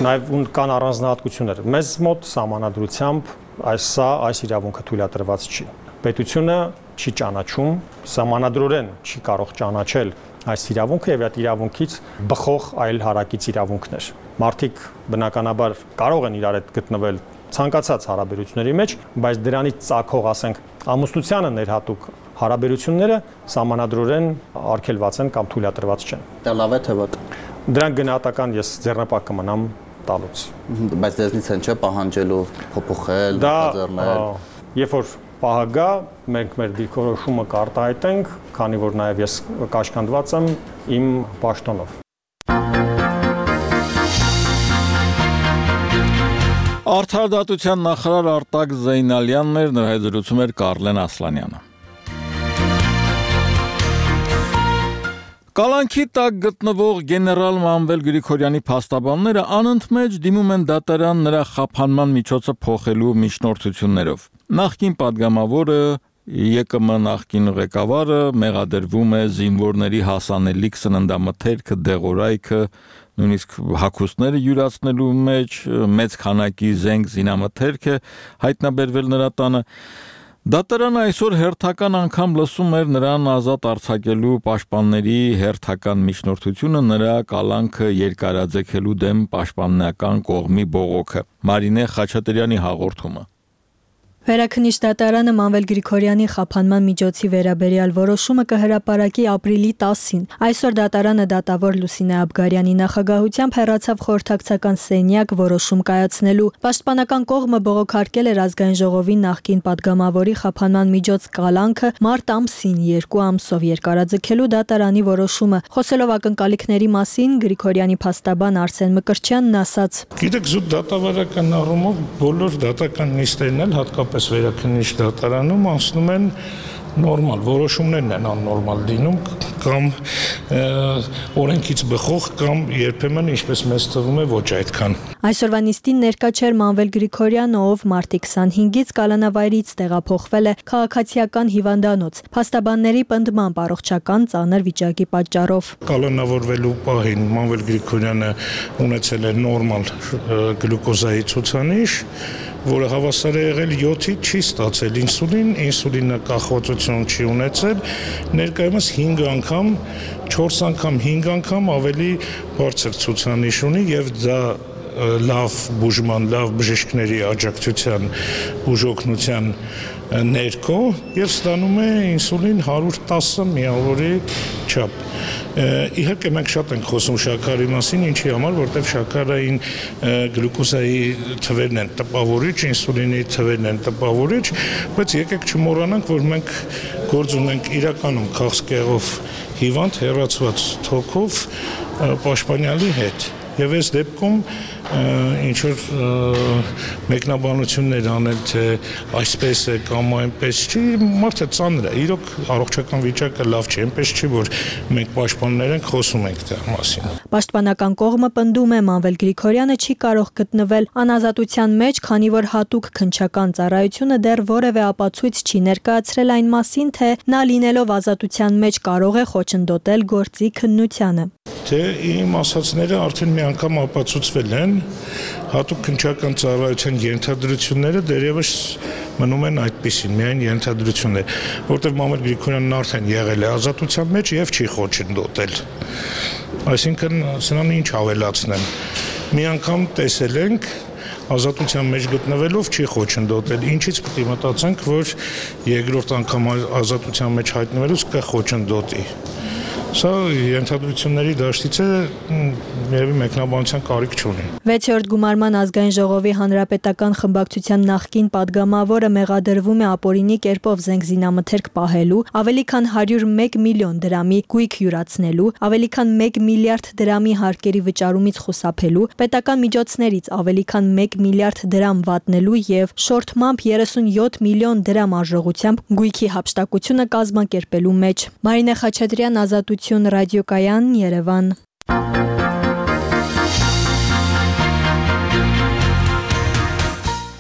Նաեւ կան առանձնահատկություններ։ Մեզ մոտ սահմանադրությամբ այս սա այս իրավունքը թույլատրված չի։ Պետությունը չի ճանաչում, սահմանադրորեն չի կարող ճանաչել այս իրավունքը եւ այդ իրավունքից բխող այլ հարակից իրավունքներ։ Մարդիկ բնականաբար կարող են իրար հետ գտնվել ցանկացած հարաբերությունների մեջ, բայց դրանից ծագող, ասենք, ամուսնությանը ներհատուկ հարաբերությունները սահմանադրորեն արգելված են կամ թույլատրված չեն։ Դա լավ է թե վատ։ Դրանք գնահատական ես ձեռնպահ կմնամ տալուց։ Բայց դեզնից են չէ պահանջելու փոփոխել, բացառնել։ Երբ որ պահը գա, մենք մեր դիրքորոշումը կարտահայտենք, քանի որ նաև ես կաշկանդված եմ իմ պաշտոնով։ Արդարադատության նախարար Արտակ Զեյնալյանն էր, նրա հետ զրուցում էր Կարլեն Ասլանյանը։ Կալանքի տակ գտնվող գեներալ Մանվել Գրիգորյանի փաստաբանները անընդմեջ դիմում են դատարան նրա խափանման միջոցը փոխելու միջնորդություններով։ Նախկին падգամավորը ԵԿՄ նախկին ղեկավարը մեղադրվում է զինվորների հասանելիք սննդամթերքը, դեղորայքը, նույնիսկ հագուստները յուրացնելու մեջ, մեծ քանակի զենք զինամթերք է հայտնաբերվել նրա տանը։ Դատարանը այսօր հերթական անգամ լսում էր նրան ազատ արձակելու պաշտպանների հերթական միջնորդությունը, նրա կալանքը երկարաձգելու դեմ պաշտպանական կողմի բողոքը։ Մարինե Խաչատրյանի հաղորդումը։ Վերաքննիչ դատարանը Մանվել Գրիգորյանի խափանման միջոցի վերաբերյալ որոշումը կհրապարակի ապրիլի տասին։ Այսօր դատարանը դատավոր Լուսինե Աբգարյանի նախագահությամբ հեռացավ խորհրդակցական սենյակ որոշում կայացնելու։ Պաշտպանական կողմը բողոքարկել էր ազգային ժողովի նախկին падգամավորի խափանման միջոց կալանքը մարտ ամսին երկու ամսով երկարաձգելու դատարանի որոշումը։ Խոսելով ակնկալիքների մասին Գրիգորյանի փաստաբան Արսեն Մկրտչյանն ասաց. Գիտեք, զուտ դատավարական առումով բոլոր դատական նիստերն էլ հատկապես վերաքննիչ դատարանում անցնում են նորմալ, որոշումներն են աննորմալ լինում կամ օրենքից բխող կամ երբեմն ինչպես մեզ թվում է ոչ այդքան։ Այսօրվա նիստին ներկա չէր Մանվել Գրիգորյանը, ով մարտի քսանհինգից կալանավայրից տեղափոխվել է քաղաքացիական հիվանդանոց։ Փաստաբանների պնդմամբ առողջական ծանր վիճակի պատճառով։ Կալանավորվելու պահին Մանվել Գրիգորյանը ունեցել է նորմալ գլյուկոզայի ցուցանիշ, որը հավասար է եղել յոթի, չի ստացել ինսուլին, ինսուլինը կախվածություն չի ունեցել, ներկայումս հինգ անգամ, չորս անգամ, հինգ անգամ ավելի բարձր ցուցանիշ ունի եւ դա լավ բուժման, լավ բժիշկների աջակցության, բուժօգնության ներքո եւ ստանում է ինսուլին հարյուր տասը միավորի չափ։ Իհարկե մենք շատ ենք խոսում շաքարի մասին, ինչի համար, որտեղ շաքարային գլյուկոզայի թվերն են տպավորիչ, ինսուլինի թվերն են տպավորիչ, բայց եկեք չմոռանանք, որ մենք գործ ունենք իրականում քաղցկեղով հիվանդ հեռացված թոքով պաշտպանյալի հետ։ Եվ այս դեպքում ինչ որ մեկնաբանություններ անել, թե այսպես է կամ այնպես չի, մարդը ծանր է, իրոք առողջական վիճակը լավ չի, այնպես չի, որ մենք պաշտպաններ ենք, խոսում ենք դրա մասին։ Պաշտպանական կողմը պնդում է Մանվել Գրիգորյանը չի կարող գտնվել անազատության մեջ, քանի որ հատուկ քննչական ծառայությունը դեռ որևէ ապացույց չի ներկայացրել այն մասին, թե նա լինելով ազատության մեջ կարող է խոչընդոտել գործի քննությանը։ Թե իմ ասածները արդեն մի անգամ ապացուցվել են, հատուկ քննչական ծառայության ենթադրությունները դեռևս մնում են այդպիսին, միայն ենթադրություններ, որտեղ Մանվել Գրիգորյանն արդեն եղել է ազատության մեջ եւ չի խոչընդոտել։ Այսինքն սրանն ինչ ավելացնեմ։ Մի անգամ տեսել ենք ազատության մեջ գտնվելով չի խոչընդոտել։ Ինչից պետք է մտածենք, որ երկրորդ անգամ ազատության մեջ հայտնվելուց կխոչընդոտի։ Սա ենթադրությունների դաշտից է, երևի մեկնաբանության կարիք չունի։ վեցերորդ գումարման ազգային ժողովի հանրապետական խմբակցության նախկին падգամավորը մեղադրվում է ապօրինի կերպով զենք զինամթերք պահելու, ավելի քան հարյուր մեկ միլիոն դրամի գույք յուրացնելու, ավելի քան մեկ միլիարդ դրամի հարկերի վճարումից խուսափելու, պետական միջոցներից ավելի քան մեկ միլիարդ դրամ վատնելու եւ շորթմամբ երեսունյոթ միլիոն դրամ արժողությամբ գույքի հափշտակությունը կազմակերպելու մեջ։ Մարինե Խաչատրյան, Ազատություն ռադիոկայան, Երևան։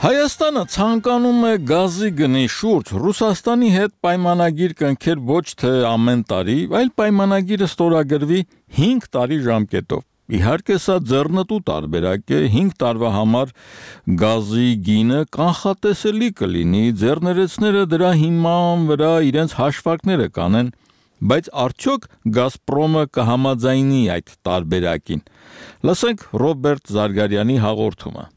Հայաստան Իրանը ցանկանում է գազի գնի շուրջ Ռուսաստանի հետ պայմանագիր կնքել ոչ թե ամեն տարի, այլ պայմանագիրը ստորագրվի հինգ տարի ժամկետով։ Իհարկե սա ձեռնտու տարբերակ է, հինգ տարվա համար գազի գինը կանխատեսելի կլինի, ձեռներեցները դրա հիման վրա իրենց հաշվարկները կանեն, բայց արդյոք Գազպրոմը կհամաձայնի այդ տարբերակին։ Լսենք Ռոբերտ Զարգարյանի հաղորդումը։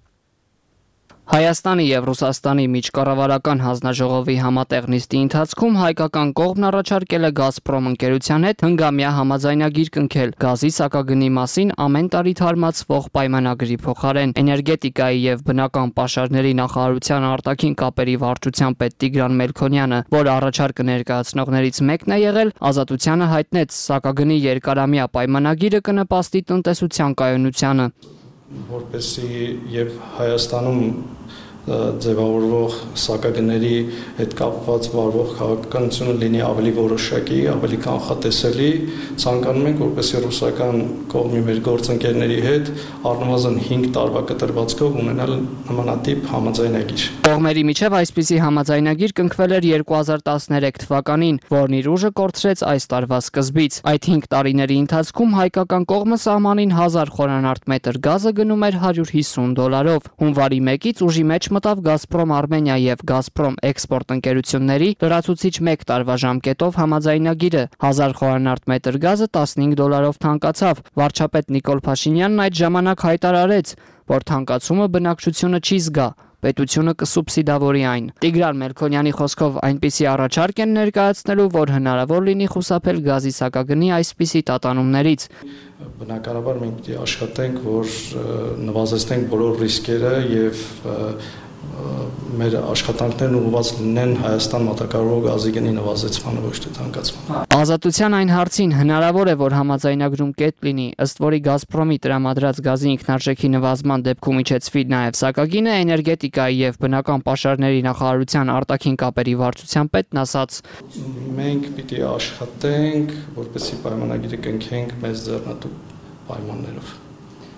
Հայաստանի եւ Ռուսաստանի միջկառավարական հանձնաժողովի համատեղ նիստի ընթացքում հայկական կողմն առաջարկել է Գազպրոմ ընկերության հետ հնգամյա համաձայնագիր կնքել գազի սակագնի մասին ամեն տարի թարմացվող պայմանագրի փոխարեն։ Էներգետիկայի եւ բնական պաշարների նախարարության արտաքին կապերի վարչության պետ Տիգրան Մելքոնյանը, որ առաջարկը ներկայացնողներից մեկն է եղել, Ազատությանը հայտնեց սակագնի երկարամյա պայմանագիրը կնպաստի տնտեսության կայունությանը։ Որպեսզի եւ Հայաստանում ձևավորվող սակագների հետ կապված վարվող քաղաքականությունը լինի ավելի որոշակի, ավելի կանխատեսելի, ցանկանում ենք, որպեսզի ռուսական կողմի մեր գործընկերների հետ առնվազն հինգ տարվա կտրվածքով ունենալ նմանատիպ համաձայնագիր։ Կողմերի միջև այսպիսի համաձայնագիր կնքվել էր երկու հազար տասներեք թվականին, որն իր ուժը կորցրեց այս տարվա սկզբից։ Այդ հինգ տարիների ընթացքում հայկական կողմը սահմանին հազար խորանարդ մետր գազը գնում էր հարյուր հիսուն դոլարով։ Հունվարի մեկից ուժի մեջ մտավ Գազպրոմ Արմենիա եւ Գազպրոմ էքսպորտ ընկերությունների լրացուցիչ մեկ տարվա ժամկետով համաձայնագիրը։ Հազար խորանարդ մետր գազը տասնհինգ դոլարով թանկացավ։ Վարչապետ Նիկոլ Փաշինյանն այդ ժամանակ հայտարարեց, որ թանկացումը բնակչությունը չի զգա, պետությունը կսուբսիդավորի այն։ Տիգրան Մելքոնյանի խոսքով այնպիսի առաջարկ են ներկայացնելու, որ հնարավոր լինի խուսափել գազի սակագնի այսպիսի տատանումներից։ Բնականաբար մենք պիտի աշխատենք, որ նվազեցնենք բոլոր ռիսկերը եւ մեր աշխատանքներն ուղղված լինեն Հայաստան մատակարարող գազի գնի նվազեցմանը, ոչ թե թանկացմանը։ Ազատության այն հարցին հնարավոր է, որ համաձայնագրում կետ լինի, ըստ որի Գազպրոմի տրամադրած գազի ինքնարժեքի նվազման դեպքում իջեցվի նաև սակագինը, էներգետիկայի եւ բնական պաշարների նախարարության արտաքին կապերի վարչության պետն ասաց. Մենք պիտի աշխատենք, որպեսզի պայմանագիրը կնքենք մեզ ձեռնտու պայմաններով։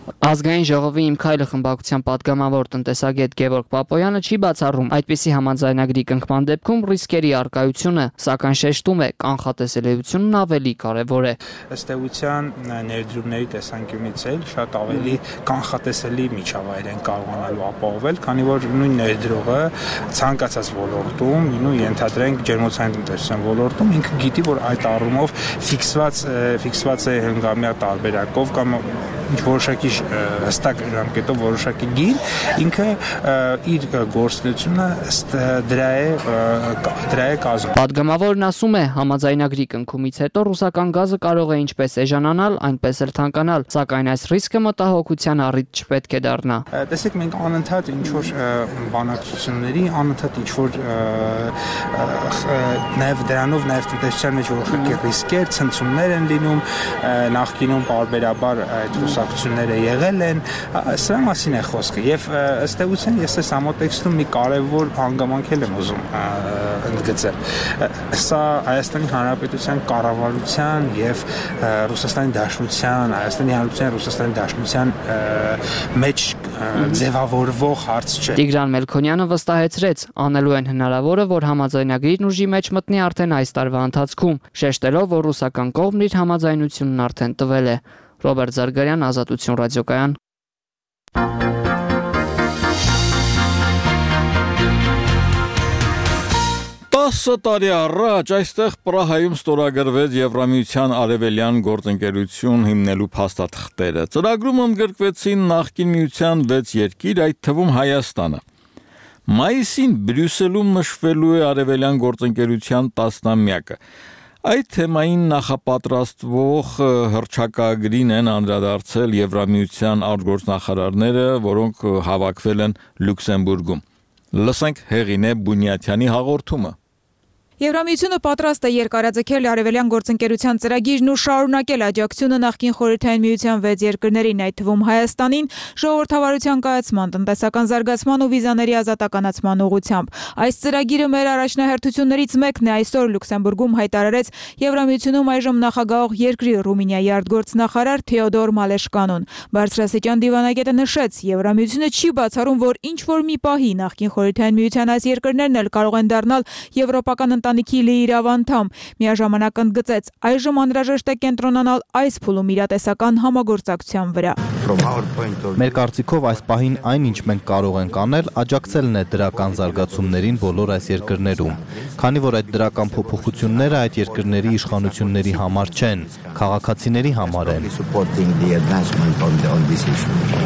Ազգային ժողովի Իմ քայլը խմբակցության պատգամավոր տնտեսագետ Գևորգ Պապոյանը չի բացառում այդպիսի համաձայնագրի կնքման դեպքում ռիսկերի առկայությունը, սակայն շեշտում է կանխատեսելիությունն ավելի կարևոր է։ Ըստ էության ներդրումների տեսանկյունից էլ շատ ավելի կանխատեսելի միջավայր են կարողանալու ապահովել, քանի որ նույն ներդրողը ցանկացած ոլորտում, նույն ենթադրենք ջերմոցային տնտեսության ոլորտում ինքը գիտի, որ այդ առումով ֆիքսված ֆիքսված է հնգամյա տարբերակով կամ ինչ որոշակի հստակ ժամկետով որոշակի գին, ինքը իր գործունեությունը դրա է դրա է կազմում։ Պատգամավորն ասում է, համաձայնագրի կնքումից հետո ռուսական գազը կարող է ինչպես էժանանալ, այնպես էլ թանկանալ, սակայն այս ռիսկը մտահոգության առիթ չպետք է դառնա։ Տեսեք, մենք անընդհատ ինչ որ բանակցությունների, անընդհատ ինչ որ նաև դրանով նաև տնտեսության մեջ որոշակի ռիսկեր, ցնցումներ են լինում, նախկինում պարբերաբար այդ ռուսակցությունները եղել են, սրա մասին է խոսքը եւ ըստ էության ես այս համատեքստում մի կարեւոր հանգամանք եմ ուզում ընդգծել։ Սա Հայաստանի Հանրապետության կառավարության եւ Ռուսաստանի Դաշնության, Հայաստանի Հանրապետության Ռուսաստանի Դաշնության մեջ ձևավորվող հարց չէ։ Տիգրան Մելքոնյանը վստահեցրեց, անելու են հնարավորը, որ համաձայնագրին ուժի մեջ մտնի արդեն այս տարվա ընթացքում, շեշտելով, որ ռուսական կողմն իր համաձայնությունն արդեն տվել է։ Ռոբերտ Զարգարյան, Ազատություն ռադիոկայան։ տասը տարի առաջ այստեղ Պրահայում ստորագրվեց Եվրամիության արևելյան գործընկերություն հիմնելու փաստաթղթերը։ Ծրագրում ընդգրկվեցին նախկին միության վեց երկիր, այդ թվում Հայաստանը։ Մայիսին Բրյուսելում նշվելու է արևելյան գործընկերության տասնամյակը։ Այդ թեմային նախապատրաստվող հռչակագրին են անդրադարձել Եվրամիության արտգործնախարարները, որոնք հավաքվել են Լյուքսեմբուրգում։ Լսենք Հեղինե Բունյաթյանի հաղորդումը։ Եվրամիությունը պատրաստ է երկարաձգել արևելյան գործընկերության ծրագիրն ու շարունակել աջակցությունը նախկին խորհրդային միության վեց երկրներին, այդ թվում Հայաստանին, ժողովրդավարության կայացման, տնտեսական զարգացման ու վիզաների ազատականացման ուղղությամբ։ Այս ծրագիրը մեր առաջնահերթություններից մեկն է, այսօր Լյուքսեմբուրգում հայտարարեց Եվրամիությունում այժմ նախագահող երկրի Ռումինիայի արտգործնախարար Թեոդոր Մալեշկանուն։ Բարձրաստիճան դիվանագետը նշեց, Եվրամիությունը չի բացառում, որ ինչ որ մի պահի նախկին խորհրդային միության այս երկրներն էլ կարող են դառնալ եվրոպական ընտանիքի լիիրավ անդամ։ Միաժամանակ ընդգծեց, այժմ անհրաժեշտ է կենտրոնանալ այս փուլում իրատեսական համագործակցության վրա։ Մեր կարծիքով այս պահին այն, ինչ մենք կարող ենք անել, աջակցելն է դրական զարգացումներին բոլոր այս երկրներում, քանի որ այդ դրական փոփոխությունները այդ երկրների իշխանությունների համար չեն, քաղաքացիների համար են։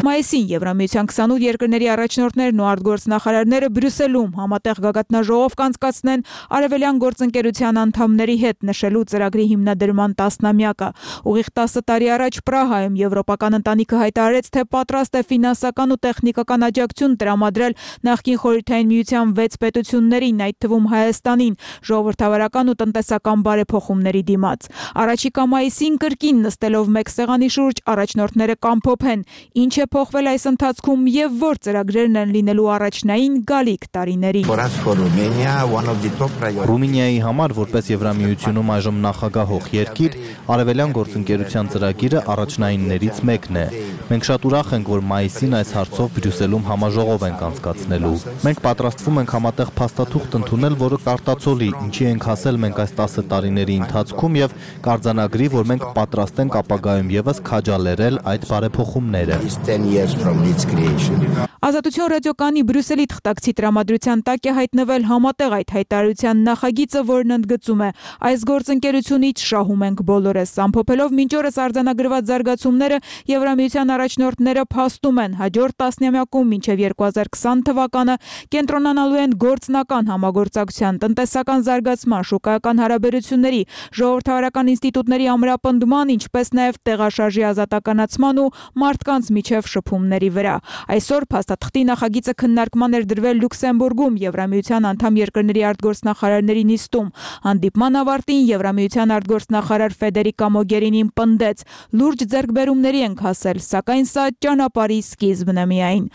Մայիսին Եվրամիության քսանութ երկրների առաջնորդներն ու արտգործնախարարները Բրյուսելում համատեղ գագաթնաժողով կանցկացնեն արևելյան գործընկերության անդամների հետ նշելու ծրագրի հիմնադրման տասնամյակը։ Ուղիղ տասը տարի առաջ Պրահայում Եվրոպական ընտանիքը հայտարարեց, թե պատրաստ է ֆինանսական ու տեխնիկական աջակցություն տրամադրել նախկին խորհրդային միության վեց պետություններին, այդ թվում Հայաստանին, ժողովրդավարական ու տնտեսական բարեփոխումների դիմաց։ Առաջիկա մայիսին կրկին նստելով մեկ սեղանի շուրջ առաջնորդները կամփոփեն, ինչ է փոխվել այս ընթացքում եւ որ ծրագրերն են լինելու առաջնային գալիք տարիներին։ Ռումինիայի համար որպես Եվրամիությունում այժմ նախագահող երկիր, արևելյան գործընկերության ծրագիրը առաջնայիններից մեկն է։ Մենք շատ ուրախ ենք, որ մայիսին այս հարցով Բրյուսելում համաժողով ենք անցկացնելու։ Մենք պատրաստվում ենք համատեղ փաստաթուղթ ընդունել, որը կարտացոլի, ինչի ենք հասել մենք այս տասը տարիների ընթացքում եւ կարձանագրի, որ մենք պատրաստ ենք ապագայում եւս քաջալերել այդ բարեփոխումները։ Ազատություն ռադիոկայանի Բրյուսելի թղթակցի տրամադրության տակ է հայտնվել համատեղ այդ հայտարարության նախագիծը, որն ընդգծում է. այս գործընկերությունից շահում ենք բոլորս։ Ամփոփելով մինչ օրս արձանագրված զարգացումները, Եվրամիության առաջնորդները փաստում են, հաջորդ տասնամյակում մինչև երկու հազար քսան թվականը կենտրոնանալու են գործնական համագործակցության, տնտեսական զարգացման, շուկայական հարաբերությունների, ժողովրդավարական ինստիտուտների ամրապնդման, ինչպես նաև տեղաշարժի ազատականացման ու մարդկանց միջև շփումների վրա։ Այսօր փաստաթղթի նախագիծը քննարկման էր դրվել Լյուքսեմբուրգում Եվրամիության անդամ երկրների արտգործնախարարների նիստում։ Հանդիպման ավարտին Եվրամիության արտգործնախարար Ֆեդերիկա Մոգերինին պնդեց. լուրջ ձեռքբերումների ենք հասել, սակայն սա ճանապարհի սկիզբն է միայն։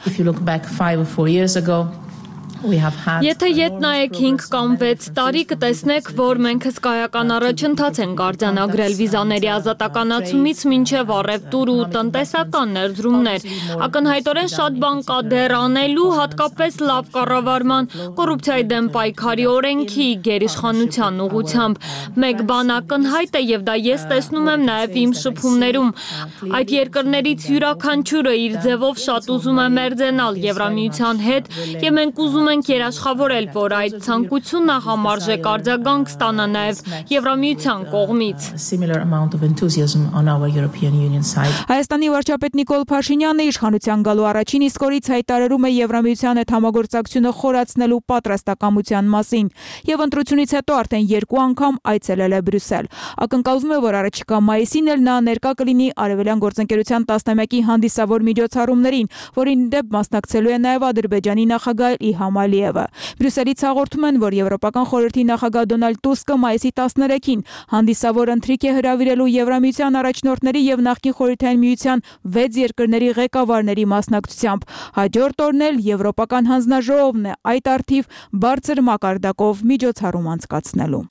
Եթե ետ նայեք հինգ կամ վեց տարի, կտեսնեք, որ մենք հսկայական առաջընթաց ենք արձանագրել վիզաների ազատականացումից մինչև առևտուր ու տնտեսական ներդրումներ։ Ակնհայտորեն շատ բան կա դեռ անելու, հատկապես լավ կառավարման, կոռուպցիայի դեմ պայքարի օրենքի, գերիշխանության ուղղությամբ։ Մեկ բան ակնհայտ է եւ դա ես տեսնում եմ նաեւ իմ շփումներում։ Այդ երկրներից յուրաքանչյուրը իր ձևով շատ ուզում է մերձենալ Եվրամիության հետ եւ մենք ուզում ենք երաշխավորել, որ այդ ցանկությունը համարժեք արձագանք ստանա նաև Եվրամիության կողմից։ Հայաստանի վարչապետ Նիկոլ Փաշինյանը իշխանության գալու առաջին իսկ օրից հայտարարում է Եվրամիության հետ համագործակցությունը խորացնելու պատրաստակամության մասին եւ ընտրությունից հետո արդեն երկու անգամ այցելել է Բրյուսել։ Ակնկալվում է, որ առաջիկա մայիսին էլ նա ներկա կլինի արևելյան գործընկերության տասնամյակի հանդիսավոր միջոցառումներին, որին դեպ մասնակցելու է նաև Ադրբեջանի նախագահ Իլհամ Ալիևը։ Բրյուսելից հաղորդում են, որ Եվրոպական խորհրդի նախագահ Դոնալդ Տուսկը մայիսի տասներեքին հանդիսավոր ընթրիք է հրավիրելու Եվրամիության առաջնորդների եւ նախկին խորհրդային միության վեց երկրների ղեկավարների մասնակցությամբ։ Հաջորդ օրն էլ Եվրոպական հանձնաժողովն է այդ առթիվ բարձր մակարդակով միջոցառում անցկացնելու։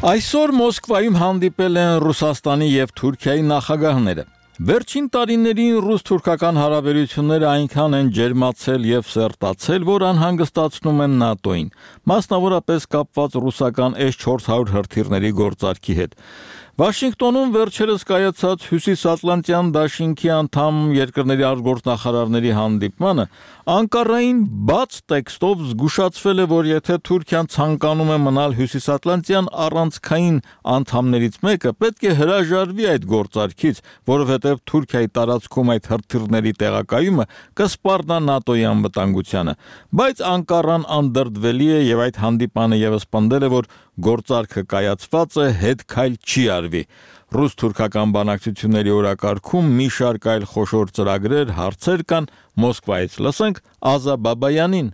Այսօր Մոսկվայում հանդիպել են Ռուսաստանի եւ Թուրքիայի նախագահները։ Վերջին տարիներին ռուս-թուրքական հարաբերությունները այնքան են ջերմացել եւ սերտացել, որ անհանգստացնում են ՆԱՏՕ-ին, մասնավորապես կապված ռուսական էս չորս հարյուր հրթիռների գործարքի հետ։ Վաշինգտոնում վերջերս կայացած Հյուսիսատլանտյան դաշինքի անդամ երկրների արտգործնախարարների հանդիպմանը Անկարային բաց տեքստով զգուշացվել է, որ եթե Թուրքիան ցանկանում է մնալ Հյուսիսատլանտյան առանցքային անդամներից մեկը, պետք է հրաժարվի այդ գործարքից, որովհետև Թուրքիայի տարածքում այդ հրթիռների տեղակայումը կսպառնա ՆԱՏՕ-ի անվտանգությանը։ Բայց Անկարան անդրդվելի է եւ այդ հանդիպանը եւս պնդել է, որ գործարքը կայացված է, հետ քայլ չի արվի։ Ռուս-թուրքական բանակցությունների օրակարգում մի շարք այլ խոշոր ծրագրեր, հարցեր կան, Մոսկվայից լսենք Ազա Բաբայանին։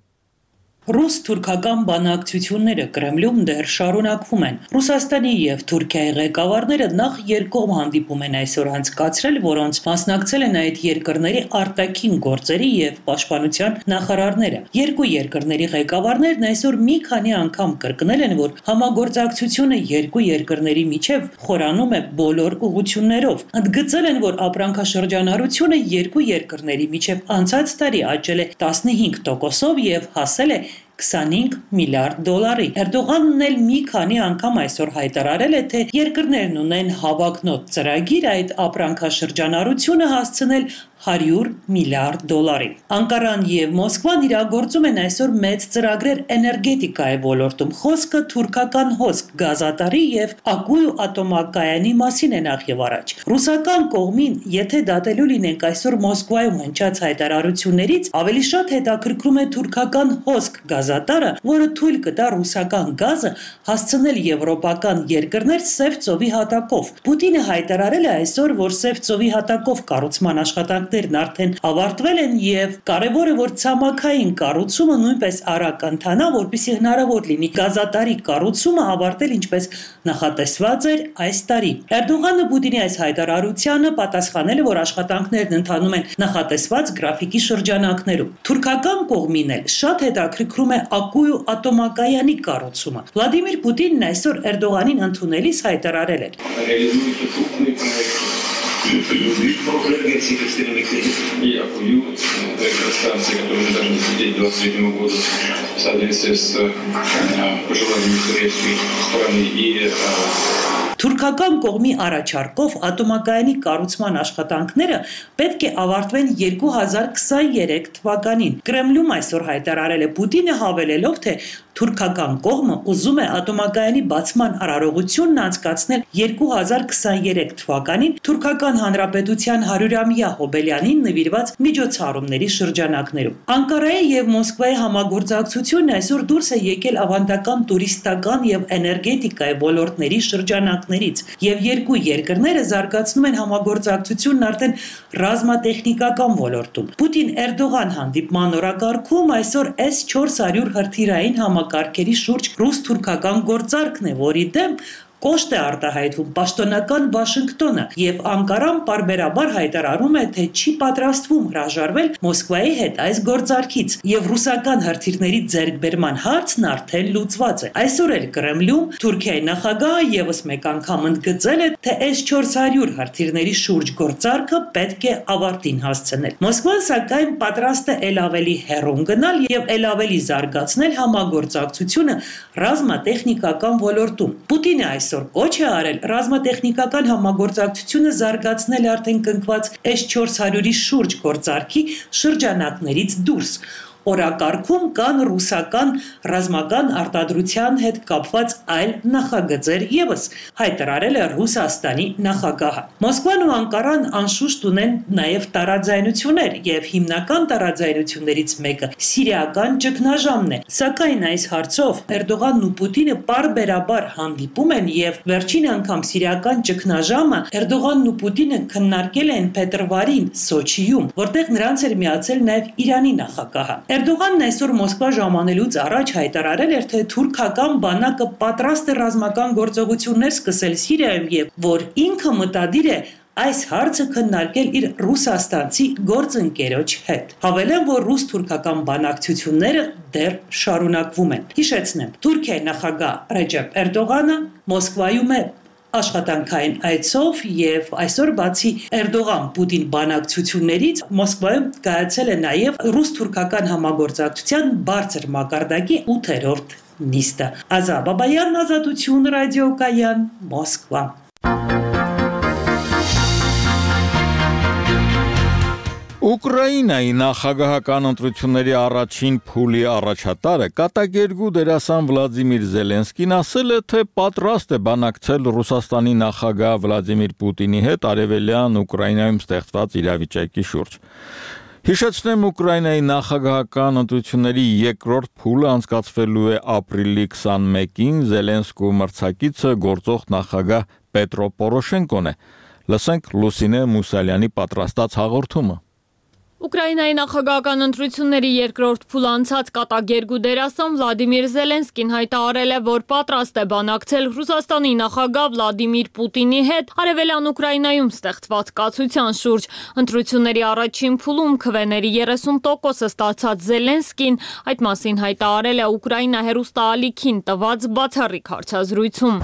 Ռուս-թուրքական բանակցությունները Կրեմլում դեռ շարունակվում են։ Ռուսաստանի եւ Թուրքիայի ղեկավարները նախ երկկողմ հանդիպում են այսօր անցկացրել, որոնց մասնակցել են այդ երկրների արտաքին գործերի եւ պաշտպանության նախարարները։ Երկու երկրների ղեկավարներն այսօր մի քանի անգամ կրկնել են, որ համագործակցությունը երկու երկրների միջև խորանում է բոլոր ուղղություններով։ Ընդգծել են, որ ապրանքաշրջանառությունը երկու երկրների միջև անցած տարի աճել է տասնհինգ տոկոսով եւ հասել է քսանհինգ միլիարդ դոլարի։ Էրդողանն էլ մի քանի անգամ այսօր հայտարարել է, թե երկրներն ունեն հավակնոտ ծրագիր այդ ապրանքաշրջանառությունը հասցնել հարյուր միլիարդ դոլարի։ Անկարան եւ Մոսկվան իրագործում են այսօր մեծ ծրագրեր էներգետիկայի ոլորտում։ Խոսքը թուրքական հոսք գազատարի եւ Ակույու ատոմակայանի մասին է նախ եւ առաջ։ Ռուսական կողմին, եթե դատելու լինենք այսօր Մոսկվայում հնչած հայտարարություններից, ավելի շատ հետաքրքրում է թուրքական հոսք գազատարը, որը թույլ կտա ռուսական գազը հասցնել եվրոպական երկրներ Սև ծովի հատակով։ Պուտինը հայտարարել է այսօր, որ Սև ծովի հատակով կառուցման աշխատանքներն արդեն ավարտվել են եւ կարեւոր է, որ ցամաքային կառուցումը նույնպես արագ ընթանա, որպեսզի հնարավոր լինի գազատարի կառուցումը ավարտել ինչպես նախատեսված էր այս տարի։ Էրդողանը Պուտինի այս հայտարարությանը պատասխանել է, որ աշխատանքներն ընթանում են նախատեսված գրաֆիկի շրջանակներում։ Թուրքական կողմին էլ շատ հետաքրքրում է Ակույու ատոմակայանի կառուցումը։ Վլադիմիր Պուտինն այսօր Էրդողանին ընդունելիս հայտարարել էր. И Акую, электростанция, которая мы должны запустить к двадцать третьему году в соответствии с пожеланиями турецкой стороны и Թուրքական կողմի առաջարկով ատոմակայանի կառուցման աշխատանքները պետք է ավարտվեն երկու հազար քսաներեք թվականին։ Կրեմլում այսօր հայտարարել է Պուտինը, հավելելով, թե թուրքական կողմը ուզում է ատոմակայանի բացման արարողությունն անցկացնել երկու հազար քսաներեք թվականին Թուրքական Հանրապետության հարյուրամյա հոբելյանին նվիրված միջոցառումների շրջանակներում։ Անկարայի եւ Մոսկվայի համագործակցությունն այսօր դուրս է եկել ավանդական տուրիստական եւ էներգետիկայի ոլորտների շրջանակներից եւ երկու երկրները զարգացնում են համագործակցությունն արդեն ռազմատեխնիկական ոլորտում։ Պուտին-Էրդողան հանդիպման օրակարգում այսօր էս չորս հարյուր հրթիռային համակարգերի շուրջ ռուս-թուրքական գործարքն է, որի դեմ կոշտ է արտահայտվում պաշտոնական Վաշինգտոնը եւ Անկարան պարբերաբար հայտարարում է, թե չի պատրաստվում հրաժարվել Մոսկվայի հետ այս գործարքից եւ ռուսական հրթիռների ձեռքբերման հարցն արդեն լուծված է։ Այսօր էլ Կրեմլում Թուրքիայի նախագահը եւս մեկ անգամ ընդգծել է, թե էս չորս հարյուր հրթիռների շուրջ գործարքը պետք է ավարտին հասցնել։ Մոսկվան սակայն պատրաստ է ել ավելի հեռուն գնալ եւ ել ավելի զարգացնել համագործակցությունը ռազմատեխնիկական ոլորտում։ Պուտինը այս Այսօր կոչ է արել ռազմատեխնիկական համագործակցությունը զարգացնել արդեն կնքված էս չորս հարյուրի շուրջ գործարքի շրջանակներից դուրս։ Օրակարգում կան ռուսական ռազմական արտադրության հետ կապված այլ նախագծեր եւս, հայտարարել է Ռուսաստանի նախագահը։ Մոսկվան ու Անկարան անշուշտ ունեն նաեւ տարաձայնություններ եւ հիմնական տարաձայնություններից մեկը սիրիական ճգնաժամն է։ Սակայն այս հարցով Էրդողանն ու Պուտինը պարբերաբար հանդիպում են եւ վերջին անգամ սիրիական ճգնաժամը Էրդողանն ու Պուտինը քննարկել են փետրվարին Սոչիում, որտեղ նրանց էր միացել նաեւ Իրանի նախագահը։ Էրդողանն այսօր Մոսկվա ժամանելուց առաջ հայտարարել էր, թե թուրքական բանակը պատրաստ է ռազմական գործողություններ սկսել Սիրիայում եւ որ ինքը մտադիր է այս հարցը քննարկել իր ռուսաստանցի գործընկերոջ հետ։ Հավելեմ, որ ռուս-թուրքական բանակցությունները դեռ շարունակվում են։ Հիշեցնեմ, Թուրքիայի նախագահ Ռեջեփ Էրդողանը Մոսկվայում է աշխատանքային այցով եւ այսօր բացի Էրդողան-Պուտին բանակցություններից Մոսկվայում կայացել է նաեւ ռուս-թուրքական համագործակցության բարձր մակարդակի ութերորդ նիստը։ Ազա Բաբայան, Ազատություն, ռադիոկայան, Մոսկվա։ Ուկրաինայի նախագահական ընտրությունների առաջին փուլի առաջատարը կատակերգու դերասան Վլադիմիր Զելենսկին ասել է, թե պատրաստ է բանակցել Ռուսաստանի նախագահ Վլադիմիր Պուտինի հետ արևելյան Ուկրաինայում ստեղծված իրավիճակի շուրջ։ Հիշեցնեմ, Ուկրաինայի նախագահական ընտրությունների երկրորդ փուլը անցկացվելու է ապրիլի քսանմեկին, Զելենսկու մրցակիցը գործող նախագահ Պետրո Պորոշենկոն է։ Լսենք Լուսինե Մուսալյանի պատրաստած հաղորդումը։ Ուկրաինայի նախագահական ընտրությունների երկրորդ փուլ անցած կատակերգու դերասան Վլադիմիր Զելենսկին հայտարարել է, որ պատրաստ է բանակցել Ռուսաստանի նախագահ Վլադիմիր Պուտինի հետ Արևելյան Ուկրաինայում ստեղծված կացության շուրջ։ Ընտրությունների առաջին փուլում քվեների երեսուն տոկոսը ստացած Զելենսկին այդ մասին հայտարարել է Ուկրաինա հեռուստաալիքին տված բացառիկ հարցազրույցում։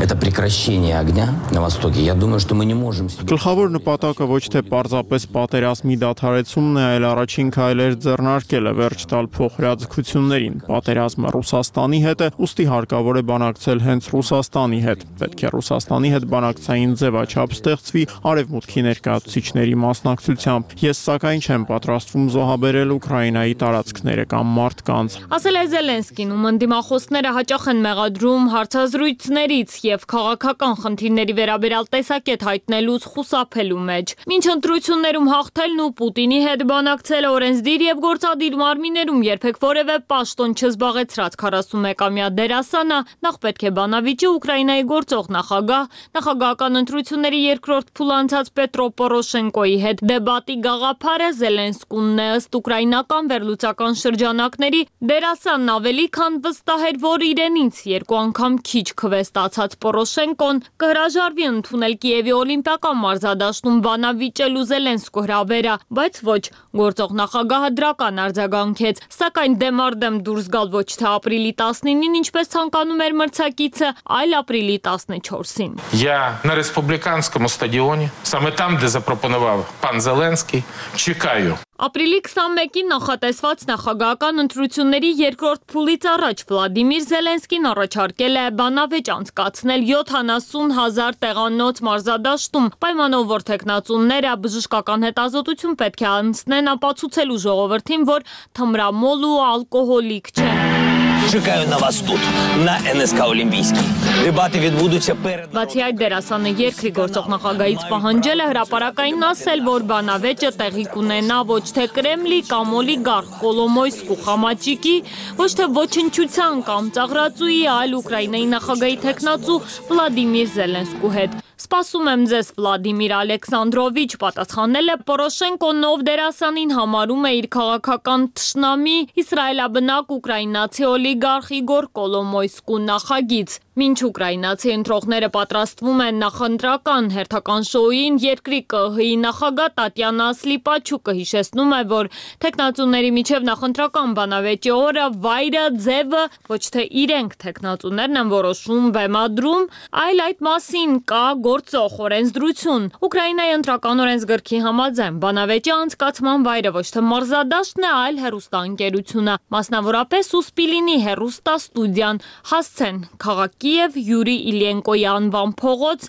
Գլխավոր նպատակը ոչ թե պարզապես պատերազմի դադարեցումն է, այլ առաջին քայլեր ձեռնարկել է վերջ տալ փոխհրաձգություններին։ Պատերազմը Ռուսաստանի հետ է, ուստի հարկավոր է բանակցել հենց Ռուսաստանի հետ։ Պետք է Ռուսաստանի հետ բանակցային ձևաչափ ստեղծվի արևմուտքի ներկայացուցիչների մասնակցությամբ։ Ես սակայն չեմ պատրաստվում զոհաբերել Ուկրաինայի տարածքները կամ մարդկանց։ Ասել է Զելենսկին, ում ընդդիմախոսները հաճախ են մեղադրում հարցազրույցներից եւ քաղաքական խնդիրների վերաբերյալ տեսակետ հայտնելուց խուսափելու մեջ։ Մինչ ընտրություններում հաղթելն ու Պուտինի հետ բանակցել օրենսդիր եւ գործադիր մարմիններում երբեք որևէ պաշտոն չզբաղեցրած քառասունմեկամյա դերասանը նախ պետք է բանավիճի Ուկրաինայի գործող նախագահ, նախագահական ընտրությունների երկրորդ փուլ անցած Պետրո Պորոշենկոյի հետ դեբատի գաղափարը Զելենսկունն է ըստ ուկրաինական վերլուծական շրջանակների դերասանն ավելի քան վստահ էր, որ իրենից երկու անգամ քիչ քվե ստացած Պորոշենկոն կհրաժարվի ընդունել Կիևի օլիմպիական մարզադաշտում բանավիճելու Զելենսկու հրավերը, բայց ոչ գործող նախագահը դրական արձագանքեց, սակայն դեմարդեմ դուրս գալ ոչ թե ապրիլի տասնինին, ինչպես ցանկանում էր մրցակիցը, այլ ապրիլի տասնչորսին։ Я на республіканському стадіоні, саме там, де запропонував пан Зеленський, чекаю. Ապրիլի քսանմեկին նախատեսված նախագահական ընտրությունների երկրորդ փուլից առաջ Վլադիմիր Զելենսկին առաջարկել է բանավեճ անցկացնել յոթանասուն հազար տեղանոց մարզադաշտում, պայմանով որ թեկնածուները բժշկական հետազոտություն պետք է անցնեն ապացուցելու ժողովրդին, որ թմրամոլ ու ալկոհոլիկ չեն։ Чекаю на вас тут, на эн ес ка Олімпійській. Дебати відбудуться перед... Բացի այդ դերասանը երկրի գործող նախագահից պահանջել է հրապարակային ասել, որ բանավեճը տեղի կունենա ոչ թե Կրեմլի կամ օլիգարխ Կոլոմոյսկու խամաճիկի, ոչ թե ոչնչության կամ ծաղրածուի, այլ Ուկրաինայի նախագահի թեկնածու Վլադիմիր Զելենսկու հետ։ Սպասում եմ ձեզ, Վլադիմիր Ալեքսանդրովիչ, պատասխանել է Պորոշենկոն, ով դերասանին համարում է իր քաղաքական թշնամի իսրայելաբնակ ուկրաինացի օլիգարխ Իգոր Կոլոմոյսկու նախագիծ։ Մինչ ուկրաինացի ընտրողները պատրաստվում են նախընտրական հերթական շոուին, երկրի կը հի նախագահ Տատյանա Սլիպաչուկը հիշեցնում է, որ թեկնածուների միջև նախընտրական բանավեճի օրը վայրը, ձևը ոչ թե իրենք թեկնածուներն են որոշում բեմադրում, այլ այդ մասին կա գործող օրենսդրություն։ Ուկրաինայի ընտրական օրենսգրքի համաձայն բանավեճի անցկացման վայրը ոչ թե մարզադաշտն է, այլ հեռուստաընկերությունը, մասնավորապես Ուսպիլինի հեռուստաստուդիան, հասցեն քաղաքի Կիև Յուրի Իլյենկոյի անվան փողոց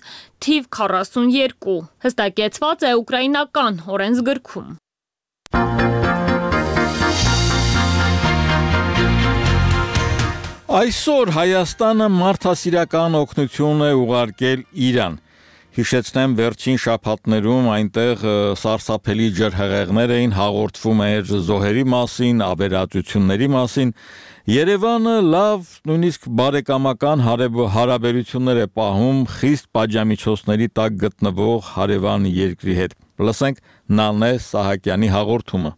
թիվ քառասունյոթ հստակեցված է ուկրաինական օրենսգրքում։ Այսօր Հայաստանը մարդասիրական օգնություն է ուղարկել Իրան։ Հիշեցնեմ, վերջին շաբաթներում այնտեղ սարսափելի ջրհեղեղներ էին, հաղորդվում էր զոհերի մասին, ավերածությունների մասին։ Երևանը լավ, նույնիսկ բարեկամական հարաբերություններ է պահում խիստ պատժամիջոցների տակ գտնվող հարևան երկրի հետ։ Լսենք Նանե Սահակյանի հաղորդումը։